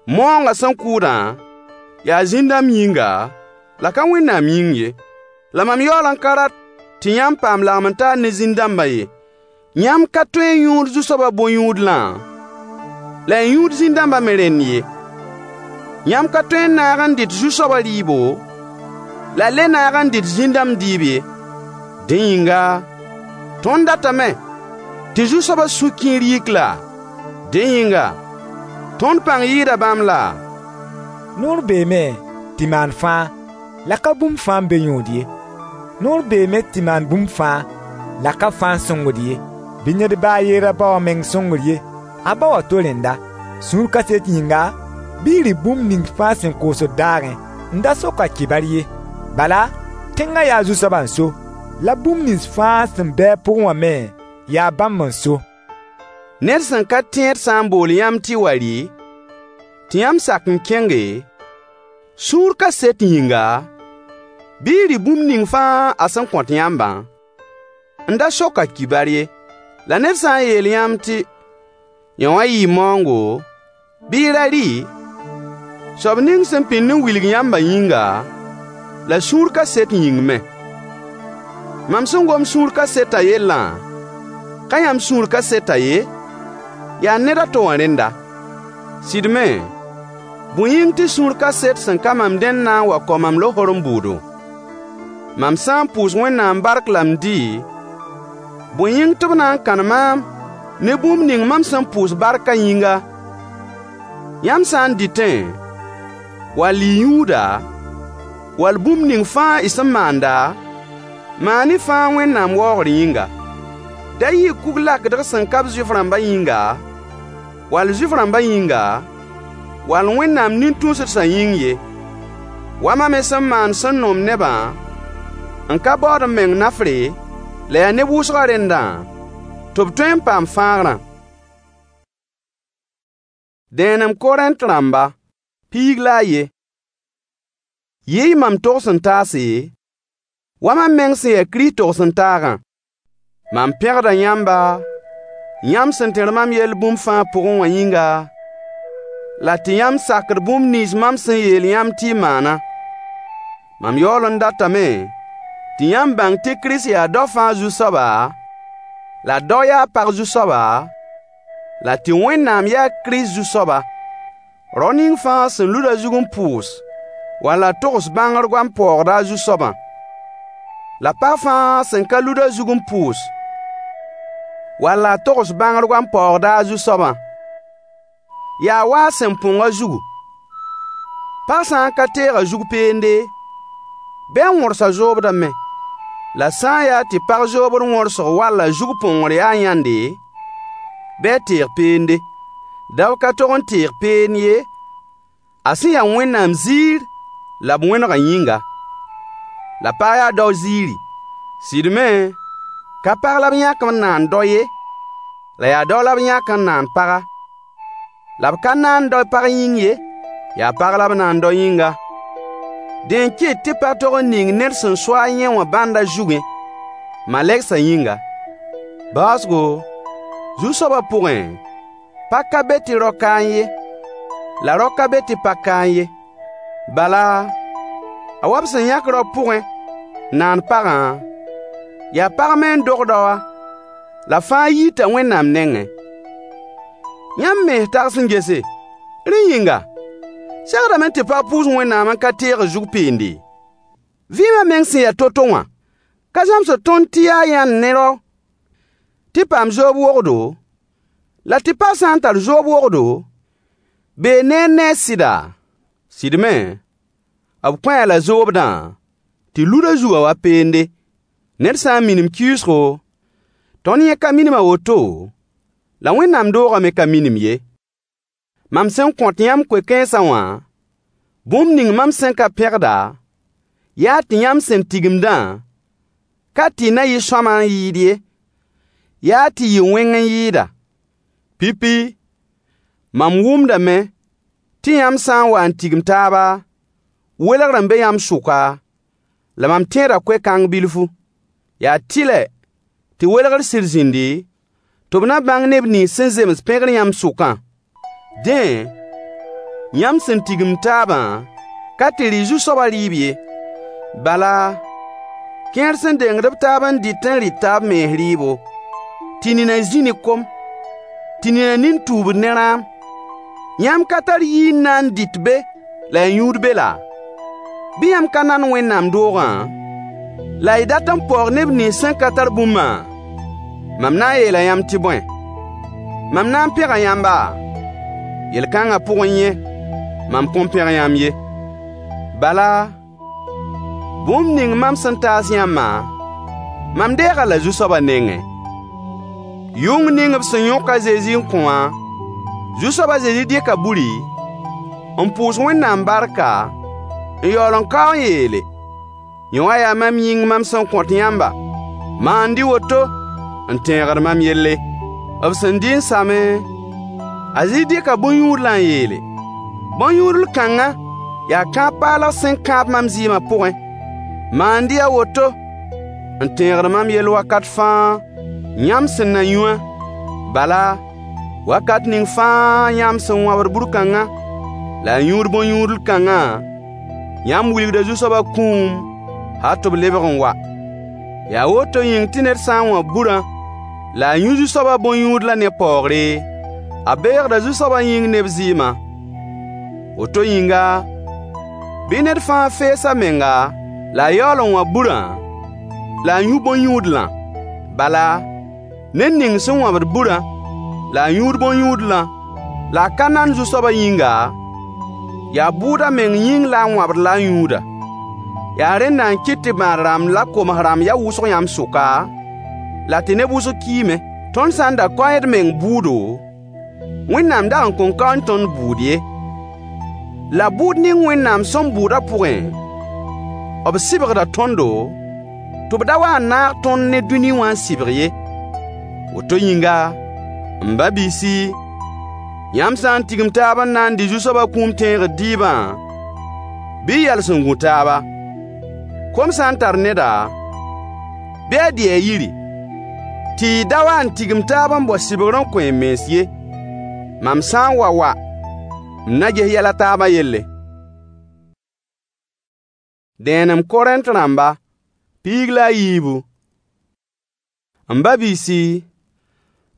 Maoongã sẽn kʋʋdã yaa zĩn-dãmb yĩnga, la ka Wẽnnaam yĩng ye. La mam yaool n ka rat tɩ yãmb paam lagem-n-taar ne zĩn-dãmbã ye. Yãmb ka tõe n yũud Zu-soabã bõn-yũudlã, la y yũud zĩn-dãmbã me rẽnd ye. Yãmb ka tõe n naag n dɩt Zu-soabã rɩɩbo, la le naag n dɩt zĩn-dãmb dɩɩb ye. Dẽ yĩnga, tõnd datame tɩ Zu-soabã sũ-kiir yik laa? Dẽ yĩnga, tõnd pãng yɩɩda bãmb laa? Noor beeme tɩ maan fãa, la ka bũmb fãa n be yõod ye. Noor beeme tɩ maan bũmb fãa, la ka fãa n sõngd ye. Bɩ ned ba a yen ra bao a meng sõngr ye, a bao a to rẽnda. Sũur kaset yĩnga, bɩ y rɩ bũmb ning fãa sẽn koosd daagẽ, n da sok a kibar ye. Bala, tẽngã yaa Zu-soabã n so, la bũmb nins fãa sẽn be a pʋgẽ wã me yaa bãmb n so. Ned sẽn ka tẽed sã n bool yãmb tɩ y wa rɩ, tɩ yãmb sak n kẽnge, sũur kaset yĩnga, bɩ y rɩ bũmb ning fãa a sẽn kõt yãmbã, n da sok a kibar ye. La ned sã n yeel yãmb tɩ yõ wã yɩɩ maoongo, bɩ y ra rɩ, soab ning sẽn pĩnd n wilg yãmbã yĩnga, la sũur kaset yĩng me. Mam sẽn gom sũur kasetã yellã, ka yãmb sũur kasetã ye, yaa ned a to wã rẽnda. Sɩd me, bõe yĩng tɩ sũur kaset sẽn ka mam dẽnd na n wa kao mam lohorem bʋʋdo? Mam sã n pʋʋs Wẽnnaam bark la m dɩ, bõe yĩng tɩ b na n kãn maam ne bũmb ning mam sẽn pʋʋs barkã yĩnga? Yãmb sã n dɩtẽ, wall y yũuda, wall bũmb ning fãa y sẽn maanda, maan-y fãa Wẽnnaam waoogr yĩnga. Da yɩ kug-lakdg sẽn ka b Zuif-rãmbã yĩnga, wall Zuif-rãmbã yĩnga, wall Wẽnnaam nin-tũusdsã yĩng ye. Wa mam me sẽn maand sẽn noom nebã, n ka baood m meng nafre, la yaa neb wʋsgã rẽndã, tɩ b tõe n paam fãagrã. Dẽenem Korẽnt rãmba, 11. Yɩ-y mam togs-n-taase, wa mam meng sẽn ya Kirist togs-n-taagã. Mam pẽgda yãmba, yãmb sẽn tẽr mam yell bũmb fãa pʋgẽ wã yĩnga, la tɩ yãmb sakd bũmb nins mam sẽn yeel yãmb tɩ y maana. Mam yaool n datame tɩ yãmb bãng tɩ Kirist yaa dao fãa Zu-soaba, la dao yaa pag Zu-soaba, la tɩ Wẽnnaam yaa Kirist Zu-soaba. Rao ning fãa sẽn lud a zug n pʋʋs, walla togs bãngr goam paoogda a zu-soabã. La pag fãa sẽn ka lud a zug n pʋʋs, walla a togs bãngr goam paoogda a zu-soabã. Yaa wa a sẽn põng a zugu. Pag sã n ka teeg a zug peende, bɩ a wõrs a zoobdã me. La sã n yaa tɩ pag zoobd wõrsg wall a zug põngr yaa yãnde, bɩ a teeg peende. Dao ka tog n teeg peend ye, a sẽn ya Wẽnnaam ziir la b wẽnegã yĩnga. La pag yaa dao ziiri. Sɩd me, ka pag la b yãk n naan dao ye, la yaa dao la b yãk n naan paga. La b ka naan dao pag yĩng ye. Yaa pag la b na n dao yĩnga. Dẽ n kɩt tɩ pag tog n ning ned sẽn so-a yẽ wã bãndã zugẽ, malegsã yĩnga. Baoosgo, Zu-soabã pʋgẽ, pag ka be tɩ rao kaẽ ye, la rao ka be tɩ pag kaẽ ye. Bala, a wa b sẽn yãk rao pʋgẽ n naan pagã, yaa pag me n dog raowã, la fãa yiita Wẽnnaam nengẽ. Yãmb mens tags n gese. Rẽ yĩnga, segdame tɩ pag pʋʋs Wẽnnaam n ka teeg zug peende? Vɩɩmã meng sẽn ya to-to wã ka zãmsd tõnd tɩ yaa yãnd ne rao tɩ paam zoob wogdo, la tɩ pag sã n tar zoob wogdo, bee neer ne a sɩda? Sɩd me, b kõ-a la zoobdã tɩ lud a zugã wa peende. Ned sã n minim kɩɩsgo, tõnd yẽ ka minim a woto, la Wẽnnaam doogã me ka minim ye. Mam sẽn kõt yãmb koe-kãensã wã, bũmb ning mam sẽn ka pẽgda, yaa tɩ yãmb sẽn tigimdã ka tɩ na yɩ sõama n yɩɩd ye, yaa tɩ yɩ wẽng n yɩɩda. Pipi, mam wʋmdame tɩ yãmb sã n wa n tigim taaba, welgr n be yãmb sʋka, la mam tẽeda koe-kãng bilfu. Yaa tɩlɛ tɩ welgr sɩd zĩndi, tɩ b na bãng neb nins sẽn zems pẽgr yãmb sʋkã. Dẽ, yãmb sẽn tigimd taabã ka tɩ rɩ Zu-soabã rɩɩb ye. Bala, kẽer sẽn dengd b taab n dɩt n rɩt b mens rɩɩbo, tɩ nina zĩ ne kom, tɩ nina nin tuubd ne rãam. Yãmb ka tar yir n na n dɩt be la y yũud be laa? Bɩ yãmb ka nand Wẽnnaam doogã, la y dat n paoog neb nins sẽn ka tar bũmbã? Mam na n yeela yãmb tɩ bõe? Mam na n pẽga yãmba? Yel-kãngã pʋgẽ yẽ, mam kõn pẽg yãmb ye. Bala, bũmb ning mam sẽn taas yãmbã, mam deeg-a la Zu-soabã nengẽ. Yʋng ning b sẽn yõk a Zezi n kõ wã, Zu-soab a Zezi dɩka buri, n pʋʋs Wẽnnaam barka, n yaool n kao n yeele: Yõ wã yaa mam yĩng mam sẽn kõt yãmba. Maand-y woto n tẽegd mam yelle. B sẽn dɩ n same, a Zezi dɩka bõn-yũudlã n yeele: Bõn-yũudl kãngã yaa kãab paalg sẽn kãab mam zɩɩmã pʋgẽ. Maand-y a woto n tẽegd mam yell wakat fãa, yãmb sẽn na yũ wã. Bala, wakat ning fãa yãmb sẽn wãbd bur-kãngã la y yũud bõn-yũudl kãngã, yãmb wilgda Zu-soabã kũum hal tɩ b lebg n wa. Yaa woto yĩng tɩ ned sã n wãb burã la a yũ Zu-soabã bõn-yũudlã ne paoogre, a beegda Zu-soabã yĩng ne b zɩɩmã. Woto yĩnga, bɩ ned fãa fees a menga la a yaool n wãb burã la a yũ bõn-yũudlã. Bala, ned ning sẽn wãbd burã la a yũud bõn-yũudlã, la a ka nand Zu-soabã yĩnga, yaa bʋʋd a meng yĩng la a wãbd la a yũuda. Yaa rẽnda n kɩt tɩ bãad-rãmb la koms-rãmb ya wʋsg yãmb sʋka, la tɩ neb wʋsg kiime. Tõnd sã n da kaoẽ d meng bʋʋdo, Wẽnnaam dag n kõn kaoẽ tõnd bʋʋd ye. La bʋʋd ning Wẽnnaam sẽn bʋʋdã pʋgẽ, b sɩbgda tõndo, tɩ b da wa n naag tõnd ne dũni wã n sɩbg ye. Woto yĩnga, m ba-biisi, yãmb sã n tigim taab n na n dɩ Zu-soabã kũum tẽegr dɩɩbã, bɩ y yals n gũ taaba. Kom sã n tar neda, bɩ a dɩ a yiri, tɩ y da wa n tigim taab n bao sɩbgr n kõ y mens ye. Mam sã n wa wa, m na ges yɛl a taabã yelle. Dẽenem Korẽnt rãmba, 14. M ba-biisi,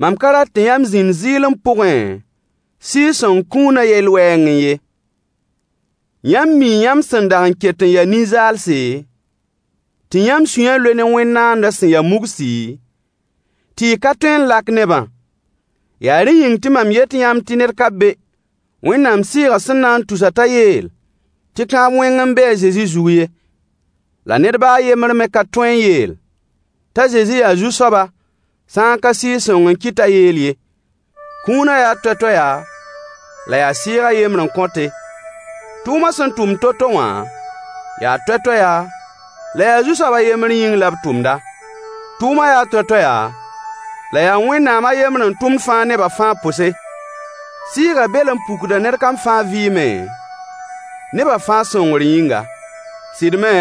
mam ka rat tɩ yãmb zĩnd zɩɩlem pʋgẽ Sɩɩg-sõng kũunã yel-wɛɛngẽ ye. Yãmb mii yãmb sẽn dag n ket n ya nin-zaalse, tɩ yãmb sũyã loe ne wẽn-naandã sẽn ya mugsi, tɩ y ka tõe n lak nebã. Yaa rẽ yĩng tɩ mam yet yãmb tɩ ned ka be Wẽnnaam Sɩɩgã sẽn na n tus-a t'a yeel tɩ kãab wẽng n be a Zezi zug ye. La ned baa a yembr me ka tõe n yeel t'a Zezi yaa Zu-soaba sã n ka Sɩɩg-sõng n kɩt t'a yeel ye. Kũunã yaa toay-toaya, la yaa Sɩɩg a yembr n kõte. Tʋʋmã sẽn tʋmd to-to wã yaa toay-toaya, la yaa Zu-soab a yembr yĩng la b tʋmda. Tʋʋmã yaa toay-toaya, la yaa Wẽnnaam a yembr n tʋmd fãa nebã fãa pʋse. Sɩɩgã bel n pukda ned kam fãa vɩɩmẽ, Nebã fãa sõngr yĩnga. Sɩd me,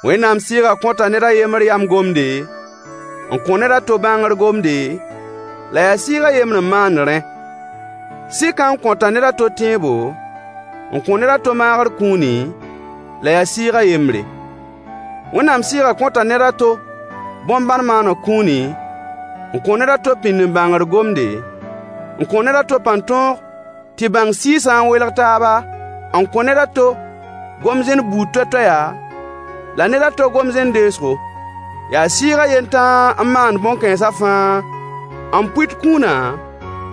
Wẽnnaam Sɩɩgã kõta ned a yembr yam gomde, n kõ ned a to bãngr gomde, la yaa Sɩɩg a yembr n maand rẽ. Sɩkã n kõta ned a to tẽebo, n kõ ned a to maagr kũuni, la yaa Sɩɩg a yembre. Wẽnnaam Sɩɩgã kõta ned a to bõn-bãn maaneg kũuni, n kõ ned a to pĩnd-n-bãngr gomde, n kõ ned a to pãn-tõog tɩ bãng sɩɩsã n welg taaba, n kõ ned a to gom-zẽn buud toay-toaya, la ned a to gom-zẽn deesgo. Yaa Sɩɩg a yen tãa n maand bõn-kãensã fãa, n pʋɩt kũunã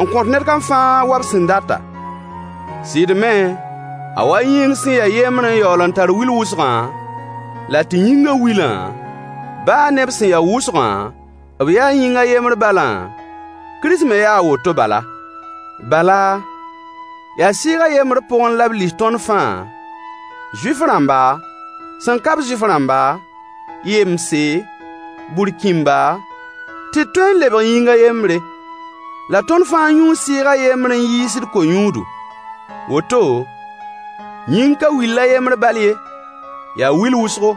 n kõt ned kam fãa wa b sẽn data. Sɩd me, a wa yĩng sẽn ya yembr n yaool n tar wil wʋsgã, la tɩ yĩngã wilã, baa ne b sẽn ya wʋsgã, b yaa yĩng a yembr balã, Kirist me yaa a woto bala. Bala, yaa Sɩɩg a yembr pʋgẽ la b lis tõnd fãa, Zuif-rãmba, sẽn ka-b Zuif-rãmba, yemse, burkĩmba, tɩ d tõe n lebg yĩng a yembre. La tõnd fãa yũu Sɩɩg a yembr n yiis d ko-yũudu. Woto, yĩng ka will a yembr bal ye, yaa wil wʋsgo.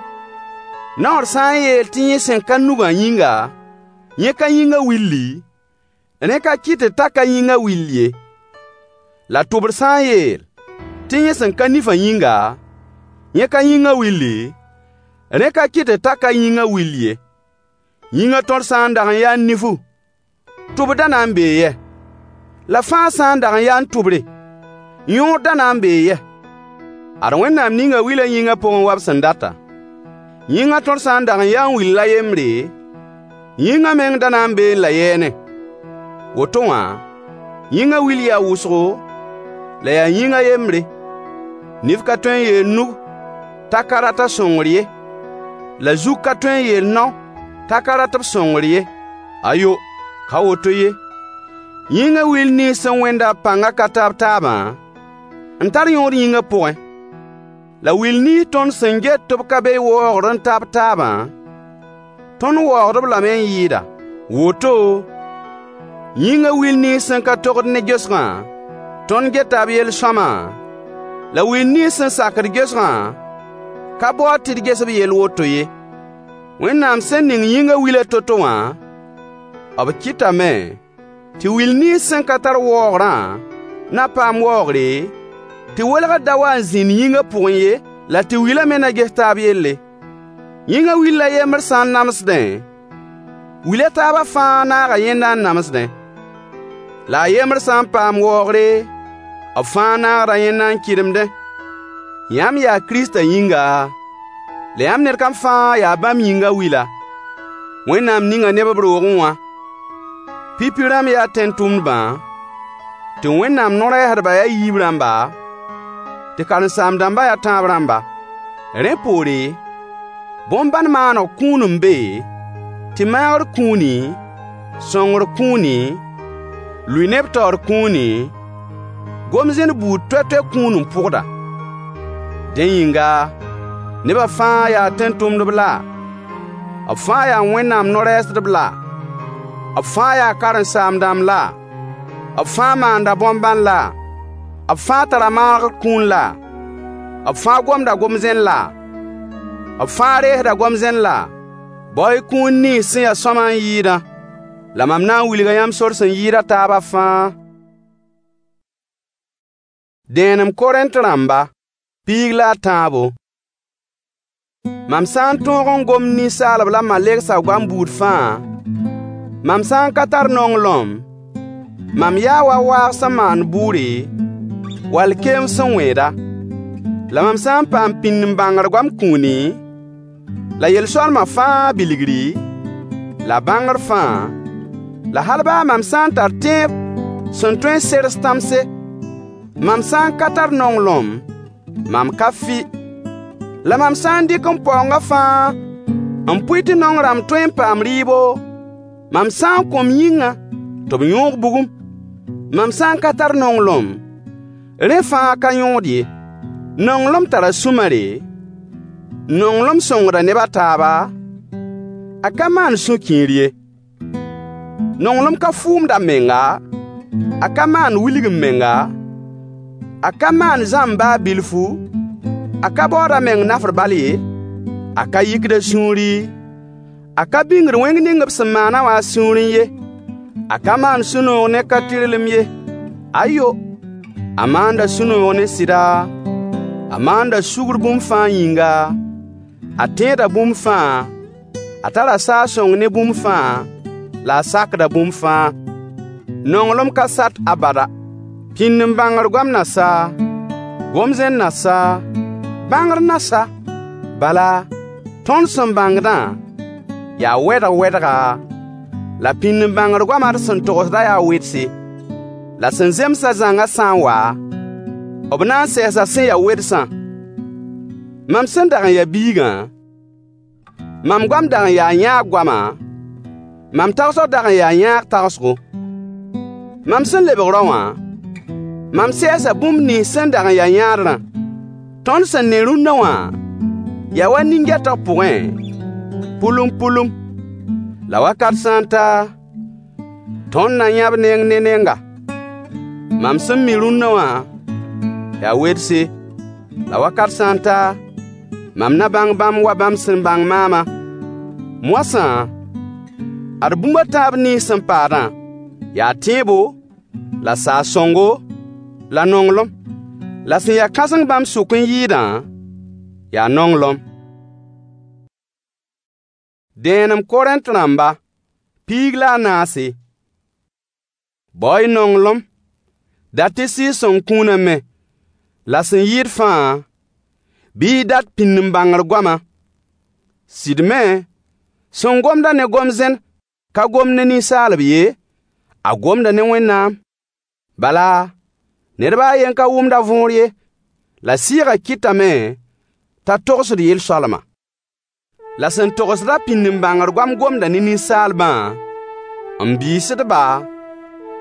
Naoor sã n yeel tɩ yẽ sẽn ka nugã yĩnga, yẽ ka yĩngã willi, rẽ ka kɩtd t'a ka yĩngã will ye. La tʋbr sã n yeel tɩ yẽ sẽn ka nifã yĩnga, yẽ ka yĩngã willi, rẽ ka kɩtd t'a ka yĩngã will ye. Yĩngã tõr sã n dag n yaa nifu, tʋbr da na n bee yɛ? La fãa sã n dag n yaa tʋbre, yõod da na n bee yɛ? Ad Wẽnnaam ninga wilã yĩngã pʋgẽ wa b sẽn data. Yĩngã tõr sã n dag n yaa n will a yembre, yĩngã meng da na n beẽ la yɛɛne. Woto wã, yĩngã wil yaa wʋsgo, la yaa yĩng a yembre. Nif ka tõe n yeel nug t'a ka rat a sõngr ye, la zug ka tõe n yeel nao t'a ka rat b sõngr ye. Ayo, ka woto ye. Yĩngã wil nins sẽn wẽnda b pãngã ka ta b taabã, n tar yõod yĩngã pʋgẽ. La wil nins tõnd sẽn get tɩ b ka be waoogr n ta b taabã, tõnd waoogd-b lame n yɩɩda. Woto, yĩngã wil nins sẽn ka togd ne gesgã, tõnd geta b yel-sõama, la wil nins sẽn sakd gesgã ka baood tɩ d ges b yell woto ye. Wẽnnaam sẽn ning yĩngã wilã to-to wã, b kɩtame tɩ wil nins sẽn ka tar waoogrã na paam waoogre, tɩ welgr da wa n zĩnd yĩngã pʋgẽ ye, la tɩ wilã me na ges taab yelle. Yĩngã will a yembr sã n namsdẽ, wil a taabã fãa naaga yẽnda n namsdẽ. La a yembr sã n paam waoogre, b fãa naagda yẽnda n kɩdemdẽ. Yãmb yaa Kiristã yĩnga, la yãmb ned kam fãa yaa bãmb yĩngã wila. Wẽnnaam ninga neb b roogẽ wã. Pipi rãmb yaa tẽn-tʋmdbã, tɩ Wẽnnaam no-rɛɛsdbã yaa yiib rãmba, tɩ karen-saam-dãmbã yaa tãab rãmba. Rẽ poore, bõn-bãn maaneg kũun n be, tɩ maagr kũuni, sõngr kũuni, lʋɩ neb taoor kũuni, gom-zẽn buud toay-toay kũun n pʋgda. Dẽ yĩnga, nebã fãa yaa tẽn-tʋmdb la? B fãa yaa Wẽnnaam no-rɛɛsdb la? B fãa yaa karen-saam-dãmb la? B fãa maanda bõn-bãn la? B fãa tara maagr kũun la? B fãa gomda gom-zẽn la? B fãa reesda gom-zẽn la? Bao-y kũun nins sẽn ya sõama n yɩɩdã. La mam na n wilga yãmb sor sẽn yɩɩd a taabã fãa. Dẽenem Korẽnt rãmba, piig la a tãabo. Mam sã n tõog n gomd ninsaalb la malegsã goam buud fãa, mam sã n ka tar nonglem, mam yaa wa waag sẽn maand bʋʋre, wall keem sẽn wẽeda. La mam sã n paam pĩnd-n-bãngr goam kũuni, la yel-soalmã fãa bilgri, la bãngr fãa, la hal baa mam sã n tar tẽeb sẽn tõe n sers tãmse, mam sã n ka tar nonglem, mam ka fɩ. La mam sã n dɩk m paoongã fãa n pʋɩ tɩ naong rãmb tõe n paam rɩɩbo, mam sã n kõ m yĩngã tɩ b yõog bugum, mam sã n ka tar nonglem, rẽ fãa ka yõod ye. Nonglem tara sũ-mare, nonglem sõngda neb a taaba, a ka maan sũ-kiir ye. Nonglem ka fʋʋmd a menga, a ka maan wilg-m-menga, a ka maan zãmb baa bilfu, A ka baood a meng nafr bal ye, a ka yikd a sũuri, a ka bĩngd wẽng ning b sẽn maanã wã a sũurẽ ye. A ka maand sũ-noog ne ka-tɩrlem ye. Ayo, a maanda sũ-noog ne sɩda, a maanda sugr bũmb fãa yĩnga, a tẽeda bũmb fãa, a tara saag-sõng ne bũmb fãa, la a sakda bũmb fãa. Nonglem ka sat abada. Pĩnd-n-bãngr goam na sa, gom-zẽn na sa, bãngr na sa. Bala, tõnd sẽn bãngdã yaa wɛdg-wɛdga, la pĩnd-n-bãngr goamã d sẽn togsdã yaa wedse. La sẽn zemsã zãngã sã n wa, b na n sɛɛsa sẽn ya wedsã. Mam sẽn dag n ya biigã, mam goam dag n yaa yãag goama, mam tagsg dag n yaa yãag tagsgo. Mam sẽn lebg rao wã, mam sɛɛsa bũmb nins sẽn dag n ya yãadrã. Tõnd sẽn ne rũnna wã yaa wa nin-gɛtg pʋgẽ, pʋlum-pʋlum. La wakat sã n ta, tõnd na yãb neng ne nenga. Mam sẽn mi rũnna wã yaa wedse, la wakat sã n ta, mam na bãng bãmb wa bãmb sẽn bãng maamã. Moasã, ad bũmb a tãab nins sẽn paadã: Yaa tẽebo, la saag-sõngo, la nonglem. La sẽn ya kãseng bãmb sʋk n yɩɩdã, yaa nonglem. Dẽenem Korẽnt rãmba, 14. Bao-y nonglem, dat-y Sɩɩg-sõng kũunã me, la sẽn yɩɩd fãa, bɩ y dat pĩnd-n-bãngr goama. Sɩd me, sẽn gomd-a ne gom-zẽn ka gomd ne ninsaalb ye, a gomda ne Wẽnnaam. Bala, ned baa a yen ka wʋmd a võor ye, la Sɩɩgã kɩtame t'a togsd yel-soalma. La sẽn togsd-a pĩnd-n-bãngr goam gomda ne ninsaalbã, n biisd-ba,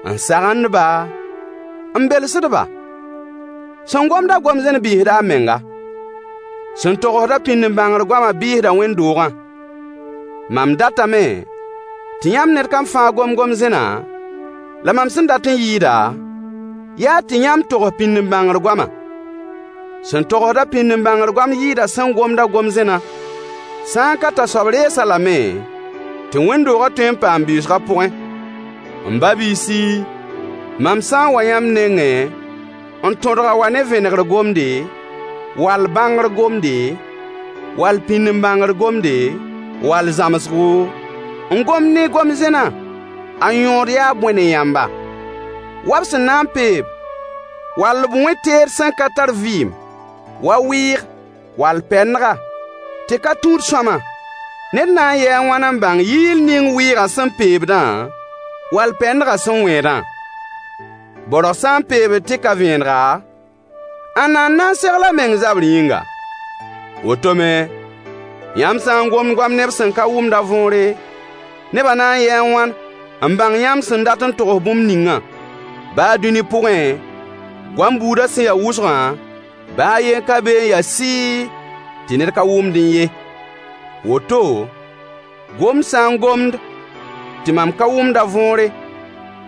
n sagend-ba, n belsd-ba. Sẽn gomd-a gom-zẽn biisda a menga. Sẽn togsd-a pĩnd-n-bãngr goamã biisda wẽnd-doogã. Mam datame tɩ yãmb ned kam fãa gom gom-zẽna, la mam sẽn dat n yɩɩda, yaa tɩ yãmb togs pĩnd-n-bãngr goama. Sẽn togsd-a pĩnd-n-bãngr goam yɩɩda sẽn gomd-a gom-zẽnã. Sã n ka t'a soab rees-a lame tɩ wẽnd-doogã tõe n paam biisgã pʋgẽ. M ba-biisi, mam sã n wa yãmb nengẽ n tõdg wa ne vẽnegr gomde, wall bãngr gomde, wall pĩnd-n-bãngr gomde, wall zãmsgo, n gomd ne gom-zẽnã, a yõod yaa bõe ne yãmba? Wa b sẽn na n peeb, wall b wẽ teed sẽn ka tar vɩɩm, wa wɩɩg, wall pɛndga, tɩ ka tũud sõama. Ned na n yɩɩ a wãn n bãng yɩɩl ning wɩɩgã sẽn peebdã, wall pɛndgã sẽn wẽedã? Baorg sã n peebd tɩ ka vẽenega, ãnna n na n segl a meng zabr yĩnga? Woto me, yãmb sã n gomd goam neb sẽn ka wʋmd a võore, nebã na n yɩɩ a wãn n bãng yãmb sẽn dat n togs bũmb ningã? Baa dũni pʋgẽ, goam buudã sẽn ya wʋsgã, baa a yen ka be n ya sɩɩ tɩ ned ka wʋmdẽ ye. Woto, gomd sã n gomd tɩ mam ka wʋmd a võore,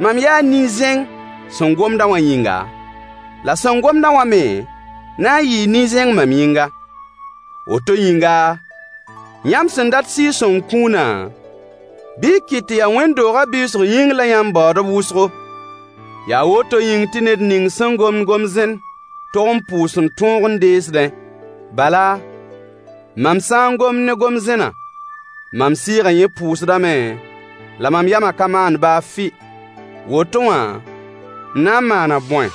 mam yaa nin-zẽng sẽn gomdã wã yĩnga, la sẽn gomdã wã me na n yɩɩ nin-zẽng mam yĩnga. Woto yĩnga, yãmb sẽn dat Sɩɩg-sõng kũunã, bɩ y kɩt tɩ yaa wẽnd-doogã biisg yĩng la yãmb baood b wʋsgo. Yaa woto yĩng tɩ ned ning sẽn gomd gom-zẽn tog n pʋʋs n tõog n deesdẽ. Bala, mam sã n gomd ne gom-zẽnã, mam sɩɩgã yẽ pʋʋsdame, la mam yamã ka maand baa fɩ. Woto wã, m na n maana bõe?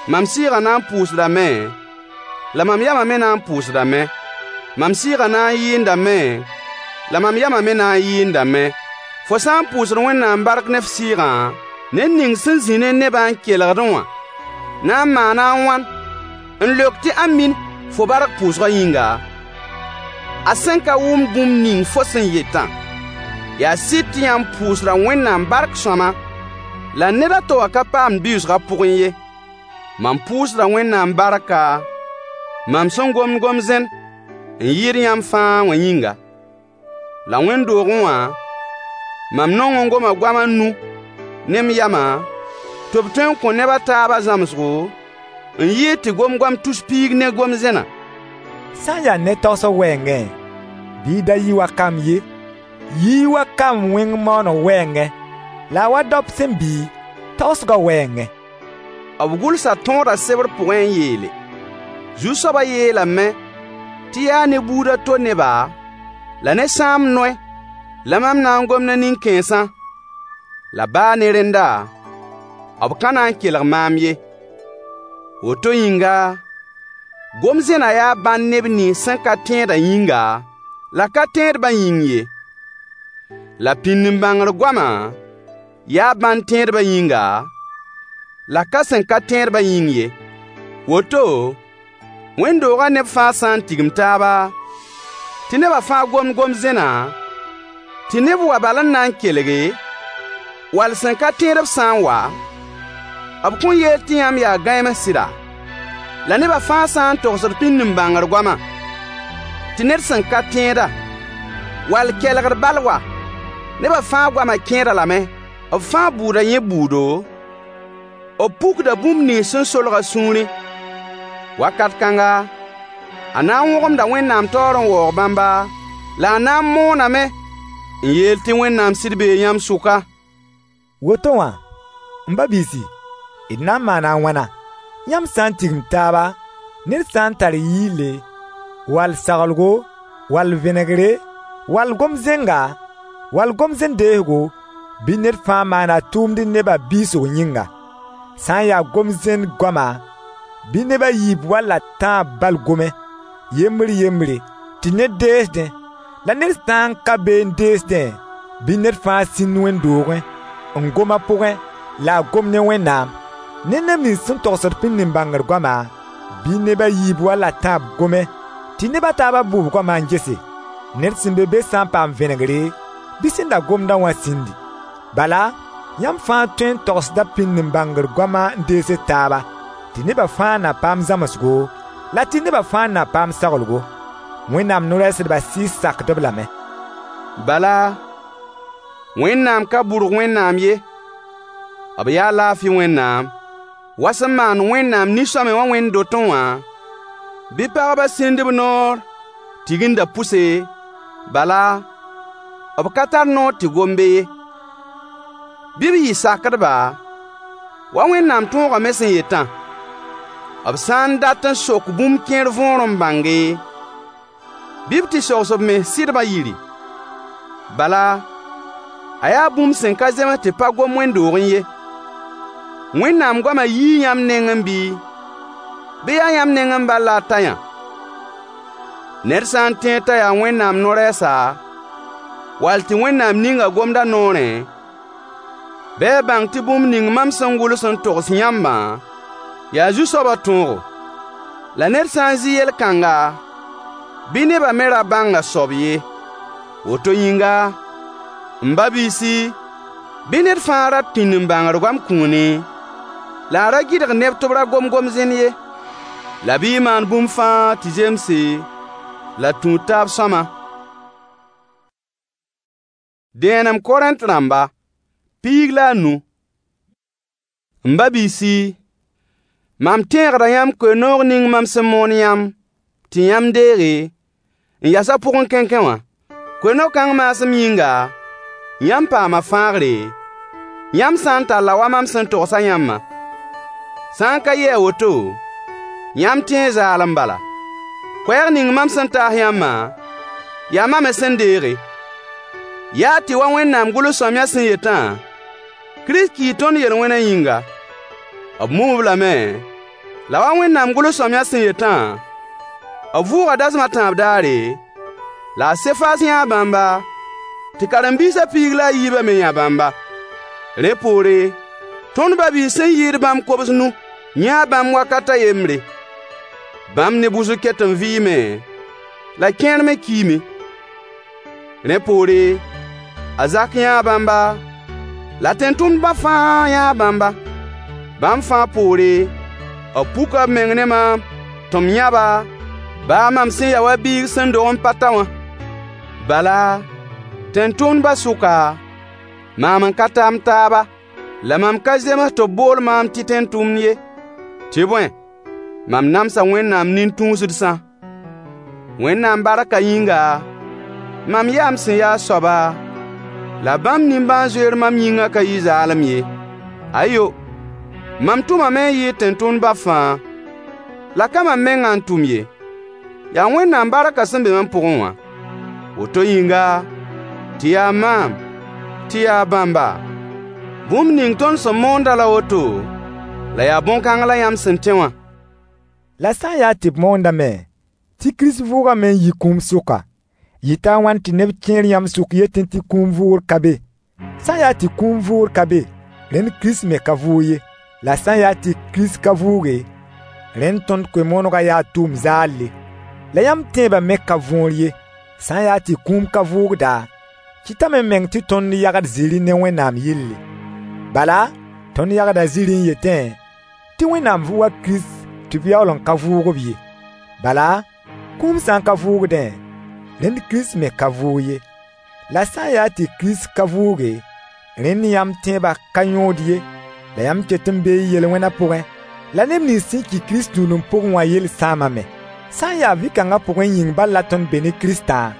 Mam sɩɩgã na n pʋʋsdame, la mam yamã me na n pʋʋsdame. Mam sɩɩgã na n yɩɩndame, la mam yamã me na n yɩɩndame. Fo sã n pʋʋsd Wẽnnaam bark ne f sɩɩgã, ned ning sẽn zĩ ne nebã n kelgdẽ wã na n maana a wãn n leok tɩ amin fo bark pʋʋsgã yĩnga, a sẽn ka wʋmd bũmb ning fo sẽn yetã? Yaa sɩd tɩ yãmb pʋʋsda Wẽnnaam bark sõama, la ned a to wã ka paamd biisgã pʋgẽ ye. Mam pʋʋsda Wẽnnaam barka, mam sẽn gomd gom-zẽn n yɩɩd yãmb fãa wã yĩnga. La wẽnd-doogẽ wã, mam nong n goma goam a nu ne m yamã, tɩ b tõe n kõ neb a taabã zãmsgo, n yɩɩd tɩ gom goam tus piig ne gom-zẽnã. Sã n ya ne tagsg wɛɛngẽ, bɩ y da yɩ wa kamb ye, yɩ-y wa kamb wẽng maooneg wɛɛngẽ, la wa daop sẽn bɩ, tagsgã wɛɛngẽ. B gʋlsa tõodã sebr pʋgẽ n yeele: Zu-soabã yeelame tɩ yaa ne buud a to neba la ne sãamb noy la mam na n gom ne nin-kãensã. La baa ne rẽnda, b ka na n kelg maam ye. Woto yĩnga, gom-zẽnã yaa bãnd neb nins sẽn ka tẽedã yĩnga, la ka tẽedbã yĩng ye. La pĩnd-n-bãngr goamã yaa bãnd tẽedbã yĩnga, la ka sẽn ka tẽedbã yĩng ye. Woto, wẽnd-doogã neb fãa sã n tigim taaba, tɩ nebã fãa gomd gom-zẽna, tɩ neb wa bal n na n kelge, wall sẽn ka tẽedb sã n wa, b kõn yeel tɩ yãmb yaa gãems sɩda? La nebã fãa sã n togsd pĩnd-n-bãngr goama, tɩ ned sẽn ka tẽeda, wall kelgd bal wa, nebã fãa goamã kẽed-a lame. B fãa bʋʋda yẽ bʋʋdo, b pukda bũmb nins sẽn solg a sũurẽ. Wakat kãnga, a na n wõgemda Wẽnnaam taoor n waoog bãmba, la a na n mooname n yeel tɩ Wẽnnaam sɩd bee yãmb sʋka. Woto wã, m ba-biisi, d na n maana a wãna? Yãmb sã n tigim taaba, ned sã n tar yɩɩle, wall saglgo, wall vẽnegre, wall gom-zẽnga, wall gom-zẽn deesgo, bɩ ned fãa maan a tʋʋmd nebã biisg yĩnga. Sã n ya gom-zẽn goama, bɩ neb a yiib wall a tãab bal gome, yembr yembre, tɩ ned deesdẽ. La ned sã n ka be n deesdẽ, bɩ ned fãa sĩnd wẽnd-doogẽ, n gom a pʋgẽ, la a gom ne Wẽnnaam. Ne neb nins sẽn togsd pĩnd-n-bãngr goama, bɩ neb a yiib wall a tãab gome, tɩ neb a taabã bʋ b goamã n gese. Ned sẽn be be sã n paam vẽnegre, bɩ sẽn da gomdã wã sĩndi. Bala, yãmb fãa tõe n togsda pĩnd-n-bãngr goama n deesd taaba, tɩ nebã fãa na paam zãmsgo, la tɩ nebã fãa na paam saglgo. Wẽnnaam no-rɛɛsdbã sɩɩs sakd-b lame. Bala, Wẽnnaam ka bʋrg Wẽnnaam ye, b yaa laafɩ Wẽnnaam. Wa sẽn maand Wẽnnaam nin-sõamy wã wẽnd-dotẽ wã, bɩ pagbã sĩnd b noor tigindã pʋse, bala, b ka tar noor tɩ gom be ye. Bɩ b yɩ sakdba, wa Wẽnnaam tõogã me sẽn yetã. B sã n dat n sok bũmb kẽer võor n bãnge, bɩ b tɩ sogs b mens sɩdbã yiri. Bala, a yaa bũmb sẽn ka zems tɩ pa gom wẽnd-doogẽ ye. Wẽnnaam goamã yii yãmb nengẽ bɩ? Bɩ yaa yãmb nengẽ bal la a ta yã? Ned sã n tẽed t'a yaa Wẽnnaam no-rɛɛsa, wall tɩ Wẽnnaam ninga gomd a noorẽ, bɩ a bãng tɩ bũmb ning mam sẽn gʋls n togs yãmbã, yaa Zu-soabã tõogo. La ned sã n zɩ yel-kãnga, bɩ nebã me ra bãng a soab ye. Woto yĩnga, m ba-biisi, bɩ ned fãa rat pĩnd-n-bãngr goam kũuni, la a ra gɩdg neb tɩ b ra gom gom-zẽn ye. La bɩ y maan bũmb fãa tɩ zemse la tũud taab sõama. Dẽenem Korẽnt rãmba, 15. M ba-biisi, mam tẽegda yãmb koe-noog ning mam sẽn moon yãmb tɩ yãmb deege, n yas a pʋgẽ kẽnkẽ wã. Koe-no-kãng maasem yĩnga, yãmb paama fãagre, yãmb sã n talla wa mam sẽn togsã yãmbã. Sã n ka yɩ a woto, yãmb tẽe zaalem bala. Koɛɛg ning mam sẽn taas yãmbã, yaa mam me sẽn deege. Yaa tɩ wa Wẽnnaam gʋls-sõamyã sẽn yetã, Kirist kii tõnd yel-wẽnã yĩnga. B mum-b lame, la wa Wẽnnaam gʋls-sõamyã sẽn yetã, b vʋʋga dasem a tãab daare, la a Sefas yãa bãmba, tɩ karen-biisã 14 bã me yã bãmba. Rẽ poore, tõnd ba-biis sẽn yɩɩd bãmb kobs-nu yãa bãmb wakat a yembre. Bãmb neb wʋsg ket n vɩɩme, la kẽer me kiime. Rẽ poore, a Zak yãa bãmba, la tẽn-tʋmdbã fãa yãa bãmba. Bãmb fãa poore, b puka b meng ne maam tɩ m yã-ba, baa mam sẽn ya wa biig sẽn dog n pa ta wã. Bala, tẽn-tʋmdbã sʋka, maam n ka ta m taaba. La mam ka zems tɩ b bool maam tɩ tẽn-tʋmd ye. Tɩ bõe, mam namsa Wẽnnaam nin-tũusdsã. Wẽnnaam barkã yĩnga, mam yaa m sẽn yaa soaba, la bãmb nimbãan-zoeer mam yĩngã ka yɩ zaalem ye. Ayo! Mam tʋmame n yɩɩd tẽn-tʋmdbã fãa. La ka mam mengã n tʋm ye, yaa Wẽnnaam barkã sẽn be mam pʋgẽ wã. Woto yĩnga, tɩ yaa maam, tɩ yaa bãmba, bũmb ning tõnd sẽn moondã la woto, la yaa bõn-kãng la yãmb sẽn tẽ wã. La sã n yaa tɩ b moondame tɩ Kirist vʋʋgame n yi kũum sʋka, yɩta a wãn tɩ neb kẽer yãmb sʋk yetẽ tɩ kũum vʋʋgr ka be? Sã n yaa tɩ kũum vʋʋgr ka be, rẽnd Kirist me ka vʋʋg ye. La sã n yaa tɩ Kirist ka vʋʋge, rẽnd tõnd koe-moonegã yaa tʋʋm zaalle, la yãmb tẽebã me ka võor ye. Sã n yaa tɩ kũum ka vʋʋgda, kɩtame meng tɩ tõnd yagd zĩri ne Wẽnnaam yelle. Bala, tõnd yagda zĩri n yetẽ tɩ Wẽnnaam vʋʋga Kirist tɩ b yaool n ka vʋʋg-b ye. Bala, kũum sã n ka vʋʋgdẽ, rẽnd Kirist me ka vʋʋg ye. La sã n yaa tɩ Kirist ka vʋʋge, rẽnd yãmb tẽebã ka yõod ye, la yãmb ket n bee y yel-wẽnã pʋgẽ. La neb nins sẽn ki Kirist tũudem pʋgẽ wã yell sãamame. Sã n ya vɩ-kãngã pʋgẽ yĩng bal la tõnd be ne Kiristã,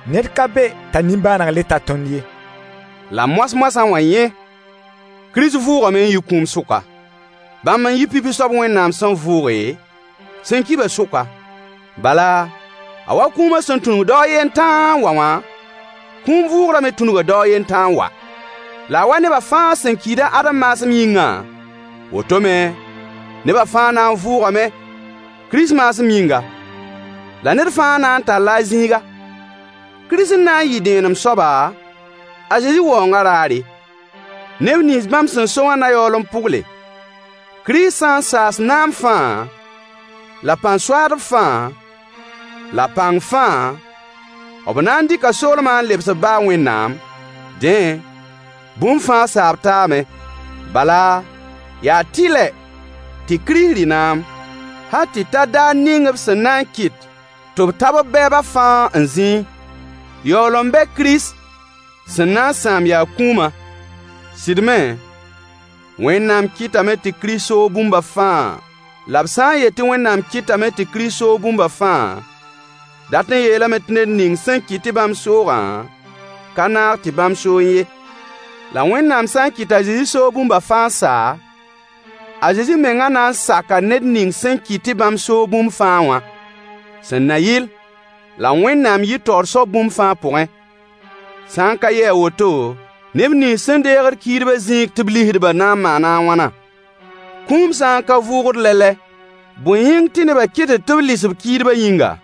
ned ka be t'a nimbãaneg le ta tõnd ye. La moas-moasã wã yẽ, Kirist vʋʋgame n yi kũum sʋka. Bãmb n yɩ pipi soab Wẽnnaam sẽn vʋʋge, sẽn ki-bã sʋka. Bala, a wa kũumã sẽn tũnug dao a yen tãa n wa wã, kũum vʋʋgrã me tũnuga dao a yen tãa n wa. La a wa nebã fãa sẽn kiid a Adem maasem yĩngã, woto me, nebã fãa na n vʋʋgame Kirist maasem yĩnga. La ned fãa na n talla a zĩiga. Kirist n na n yɩ dẽenem soaba, a Zezi waoongã raare. Neb nins bãmb sẽn so wã na yaool n pʋgle. Kirist sã n saas naam fãa, la pãn-soaadb fãa, la pãng fãa, b na n dɩka soolmã n lebs b ba a Wẽnnaam. Dẽ, bũmb fãa saab taame. Bala, yaa tɩlɛ tɩ Kirist rɩ naam, hal tɩ ta daar ning b sẽn na n kɩt tɩ b ta b bɛɛbã fãa n zĩi. Yaool n bɛ Kirist sẽn na n sãam yaa kũumã. Sɩd me, Wẽnnaam kɩtame tɩ Kirist soog bũmba fãa. La b sã n yet tɩ Wẽnnaam kɩtame tɩ Kirist soog bũmba fãa, dat n yeelame tɩ ned ning sẽn kɩt tɩ bãmb soogã, ka naag tɩ bãmb soe ye. La Wẽnnaam sã n kɩt t'a Zezi soog bũmba fãa n sa, a Zezi mengã na n saka ned ning sẽn kɩt tɩ bãmb soog bũmb fãa wã. Sẽn na yɩl la Wẽnnaam yɩ taoor soab bũmb fãa pʋgẽ. Sã n ka yɩ a woto, neb nins sẽn deegd kiidbã zĩig tɩ b lisd-bã na n maana a wãna? Kũum sã n ka vʋʋgd lɛ-lɛ, bõe yĩng tɩ nebã kɩtd tɩ b lis b kiidbã yĩnga?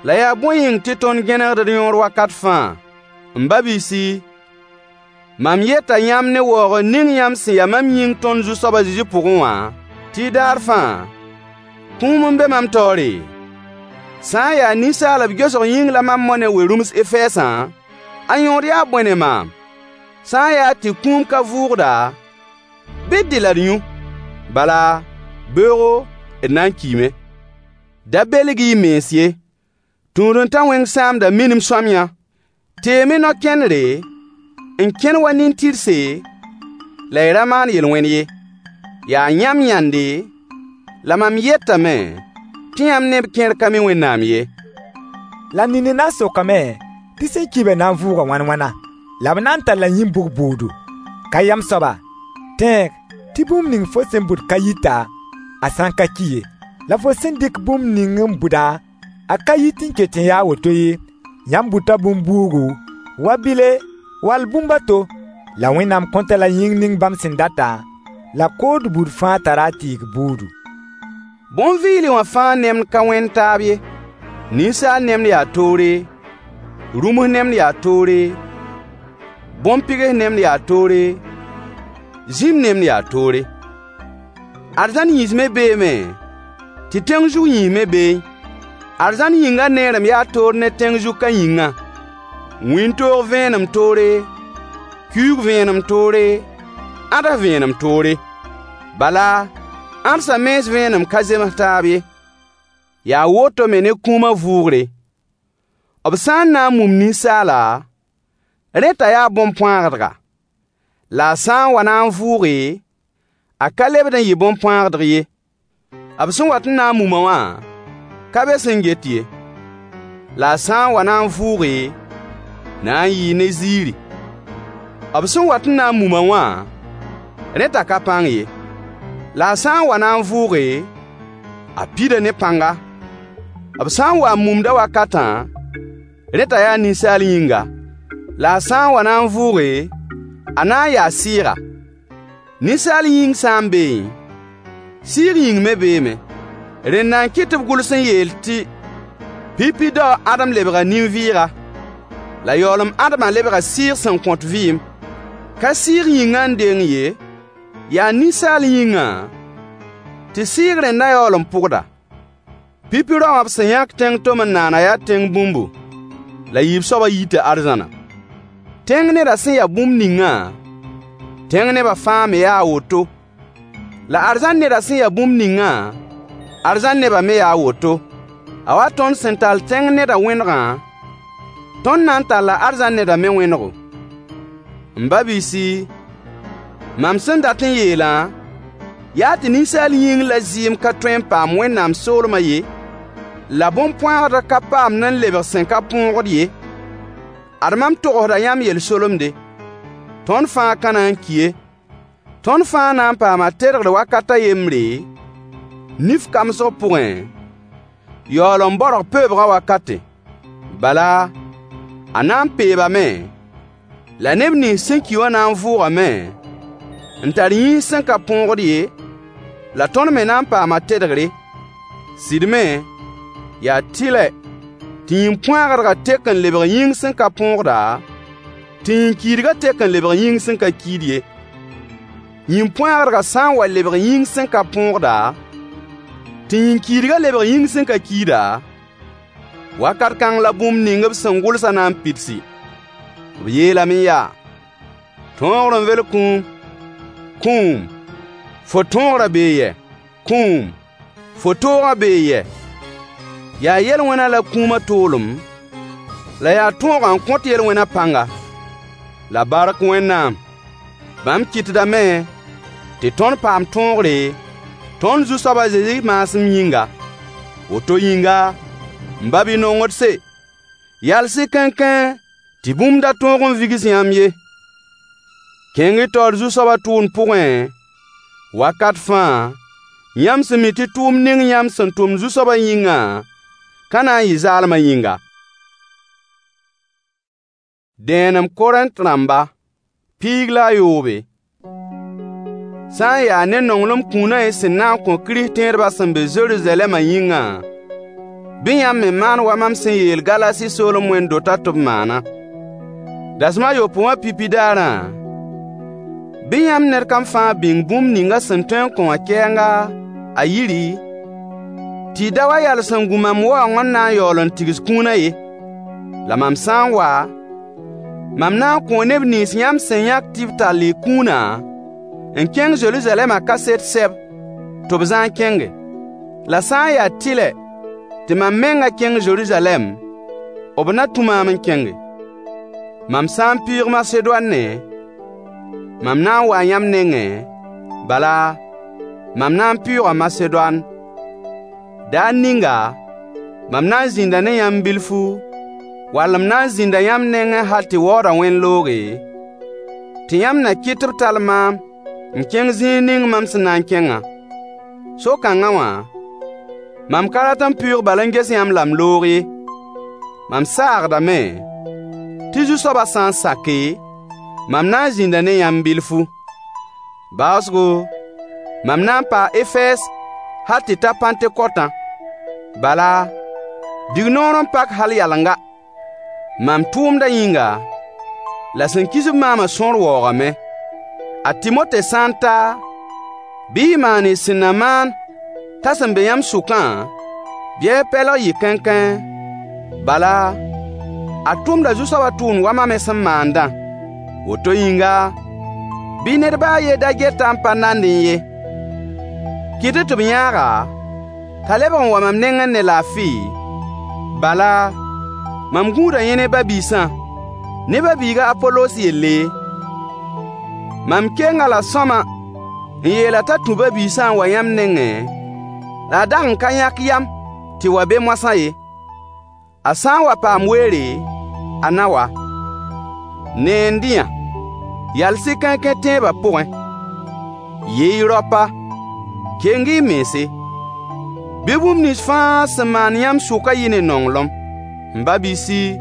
La yaa bõe yĩng tɩ tõnd gẽnegd d yõor wakat fãa? M ba-biisi, mam yeta yãmb ne waoogr ning yãmb sẽn ya mam yĩng tõnd Zu-soab a Zezi pʋgẽ wã, tɩ daar fãa, kũum n be mam taoore. Sã n yaa ninsaalb gesg yĩng la mam mao ne we-rũms Efɛɛsã, a yõod yaa bõe ne maam? Sã n yaa tɩ kũum ka vʋʋgda, bɩ d dɩ la d yũ. Bala, beoogo, d na n kiime. Da belg-y y mens ye. Tũud-n-ta wẽng sãamda minim sõamyã. Teem-y no-kẽndre, n kẽn wa nin-tɩrse, la y ra maan yel-wẽn ye. Yaa yãmb yãnde, la mam yetame tɩ yãmb neb kẽer ka mi Wẽnnaam ye. La nini na n sokame tɩ sẽn ki-bã na n vʋʋga wãn-wãna? La b na n talla yĩn-bug bʋʋdo? Ka yam soaba! Tẽeg tɩ bũmb ning fo sẽn bʋd ka yita, a sã n ka ki ye. La fo sẽn dɩk bũmb ning n bʋdã, a ka yit n ket n ya a woto ye. Yãmb bʋta bũmb-buugu, wa bile wall bũmb a to, la Wẽnnaam kõt-a la yĩng ning bãmb sẽn datã, la kood buud fãa tara a tɩɩg buudu. Bõn-vɩɩle wã fãa nemd ka wẽnd taab ye. Ninsaal nemd yaa toore, rũms nemd yaa toore, bõn-pɩgs nemd yaa toore, zĩm nemd yaa toore. Arzãn yĩns me beeme, tɩ tẽng zug yĩns me beẽ. Arzãn yĩngã neerem yaa toor ne tẽng zug ka yĩngã. Wĩntoog vẽenem toore, kiuug vẽenem toore, ãds vẽenem toore. Bala, ãdsã mens vẽenem ka zems taab ye. Yaa woto me ne kũumã vʋʋgre. B sã n na n mum ninsaala, rẽ t'a yaa bõn-põagdga. La a sã n wa na n vʋʋge, a ka lebd n yɩ bõn-põagdg ye. B sẽn wat n na n mum-a wã, ka be sẽn get ye. La a sã n wa na n vʋʋge, na n yɩɩ ne ziiri. B sẽn wat n na n mum-a wã, rẽ t'a ka pãng ye. La a sã n wa na n vʋʋge, a pida ne pãnga. B sã n wa n mumd-a wakatã, rẽ t'a yaa ninsaal yĩnga. La a sã n wa na n vʋʋge, a na n yaa sɩɩga. Ninsaal yĩng sã n beẽ, sɩɩg yĩng me beeme. Rẽnda n kɩt tɩ b gʋls n yeel tɩ: Pipi dao a Ãdem lebga nin-vɩɩga. La yaoolem Ãdemã lebga sɩɩg sẽn kõt vɩɩm. Ka sɩɩg yĩngã n deng ye, yaa ninsaal yĩngã tɩ sɩɩg rẽndã yaool n pʋgda. Pipi rao wã b sẽn yãk tẽng tom-n-naanã yaa tẽng bũmbu, la yiib soabã yita arzãna. Tẽng nedã sẽn ya bũmb ningã, tẽng nebã fãa me yaa a woto. La arzãn nedã sẽn ya bũmb ningã, arzãn nebã me yaa a woto. A wa tõnd sẽn tall tẽng nedã wẽnegã, tõnd na n talla arzãn nedã me wẽnego. M ba-biisi, mam sẽn dat n yeelã yaa tɩ ninsaal yĩng la zɩɩm ka tõe n paam Wẽnnaam soolmã ye, la bõn-põagdg ka paamd n lebg sẽn ka põogd ye. Ad mam togsda yãmb yel-solemde. Tõnd fãa ka na n ki ye. Tõnd fãa na n paama tedgr wakat a yembre, nif kamsg pʋgẽ, yaool n baorg peoobgã wakate. Bala, a na n peebame, la neb nins sẽn ki wã na n vʋʋgame n tar yĩns sẽn ka põogd ye, la tõnd me na n paama tedgre. Sɩd me, yaa tɩlɛ tɩ yĩn-põagdgã tek n lebg yĩng sẽn ka põogda, tɩ yĩn-kiidgã tek n lebg yĩng sẽn ka kiid ye. Yĩn-põagdgã sã n wa lebg yĩng sẽn ka põogda, tɩ yĩn-kiidgã lebg yĩng sẽn ka kiida, wakat kãng la bũmb ning b sẽn gʋlsã na n pidsi. B yeelame yaa: Tõogr n vel kũum. Kũum, fo tõogrã bee yɛ? Kũum, fo toogã bee yɛ? Yaa yel-wẽnã la kũumã toolem, la yaa tõogã n kõt yel-wẽnã pãnga. La bark Wẽnnaam! Bãmb kɩtdame tɩ tõnd paam tõogre, tõnd Zu-soab a Zezi maasem yĩnga. Woto yĩnga, m ba-bi-nongdse, yals-y kãenkãe tɩ bũmb da tõog n vigs yãmb ye. Kẽng-y taoor Zu-soabã tʋʋmd pʋgẽ, wakat fãa, yãmb sẽn mi tɩ tʋʋmd ning yãmb sẽn tʋmd Zu-soabã yĩngã ka na n yɩ zaalmã yĩnga. Dẽenem Korẽnt rãmba, 17. Sã n yaa ne nonglem kũunã y sẽn na n kõ Kirist-tẽedbã sẽn be Zeruzalɛmã yĩngã, bɩ yãmb me maan wa mam sẽn yeel Galasi soolem wẽnd-dotã tɩ b maana. Dasem a yopoe wã pipi daarã, bɩ yãmb ned kam fãa bĩng bũmb ning a sẽn tõe n kõ wã kɛɛnga a yiri, tɩ y da wa yals n gu mam waoong n na n yaool n tigs kũunã ye. La mam sã n wa, mam na n kõo neb nins yãmb sẽn yãk tɩ b tall y kũunã n kẽng Zeruzalɛmã kaset sɛb tɩ b zãag kẽnge. La sã n yaa tɩlɛ tɩ mam mengã kẽng Zeruzalɛm, b na tũ maam n kẽnge. Mam sã n pɩʋʋg Masedoane, mam na n waa yãmb nengẽ, bala, mam na n pɩʋʋga Masedoan. Daar ninga, mam na n zĩnda ne yãmb bilfu, wall m na n zĩnda yãmb nengẽ hal tɩ waoodã wẽn-looge, tɩ yãmb na kɩt tɩ b tall maam n kẽng zĩig ning mam sẽn na n kẽngã. So-kãngã wã, mam ka rat n pɩʋʋg bal n ges yãmb la m loog ye. Mam saagdame tɩ Zu-soabã sã n sake, mam na n zĩnda ne yãmb bilfu. Baoosgo, mam na n paa Efɛɛs hal tɩ ta Pãntekotã. Bala, dignoor n pak hal yalenga. Mam tʋʋmdã yĩnga, la sẽn kis-b maamã sõor waoogame. A Timote sã n ta, bɩ y maan y sẽn na maan t'a sẽn be yãmb sʋkã, bɩ a pɛlg yɩ kãenkãe. Bala, a tʋmda Zu-soabã tʋʋmd wa mam me sẽn maandã. Woto yĩnga, bɩ ned ba a yen da get-a n pa nandẽ ye. Kɩt-y tɩ b yãag-a t'a lebg n wa mam nengẽ ne laafɩ, bala, mam gũuda yẽ ne ba-biisã, ne ba-biig a Apolos yelle. Mam kenga la sõama n yeel-a t'a tũ ba-biisã n wa yãmb nengẽ, la a dag n ka yãk yam tɩ wa be moasã ye. A sã n wa paam weere, a na wa. Neend-y-yã. Yals-y kãenkãe tẽebã pʋgẽ. Yee-y raopa. Keng-y y mense. Bɩ bũmb nins fãa sẽn maan yãmb sʋkã yɩ ne nonglem. M ba-biisi,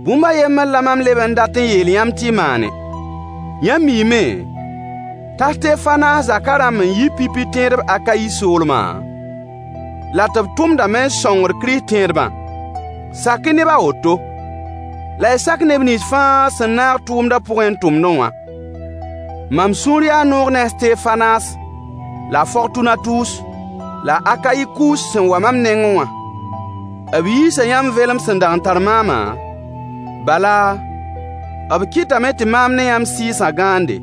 bũmb a yembr la mam leb n dat n yeel yãmb tɩ y maane. Yãmb miime t'a Stefanas zakã rãmb n yi pipi tẽedb Akayi soolmã, la tɩ b tʋmdame n sõngd Kirist tẽedbã. Sak-y neb a woto. La y sak neb nins fãa sẽn naag tʋʋmdã pʋgẽ n tʋmdẽ wã. Mam sũur yaa noog ne a Stefanas, la a Fortunatus, la a Akayikus sẽn wa mam nengẽ wã. B yiisa yãmb vẽlem sẽn dag n tar maamã, bala, b kɩtame tɩ maam ne yãmb sɩɩsã gãande.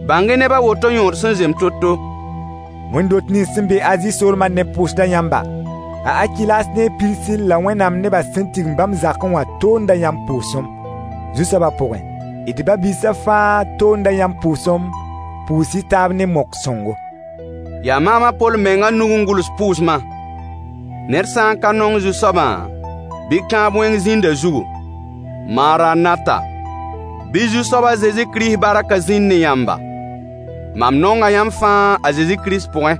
Bãng-y neb a woto yõod sẽn zem to-to. Wẽnd-dot nins sẽn be Azi soolmã ne pʋʋsda yãmba. A Akilas ne a Pirsil la Wẽnnaam nebã sẽn tigim bãmb zakẽ wã toonda yãmb pʋʋsem, Zu-soabã pʋgẽ. D ba-biisã fãa toonda yãmb pʋʋsem, pʋʋs-y taab ne mok-sõngo. Yaa maam a Poll mengã nug n gʋls pʋʋsmã. Ned sã n ka nong Zu-soabã, bɩ kãab wẽng zĩnd a zugu. Maranata! Bɩ Zu-soab a Zezi Kirist barkã zĩnd ne yãmba. Mam nonga yãmb fãa a Zezi Kirist pʋgẽ.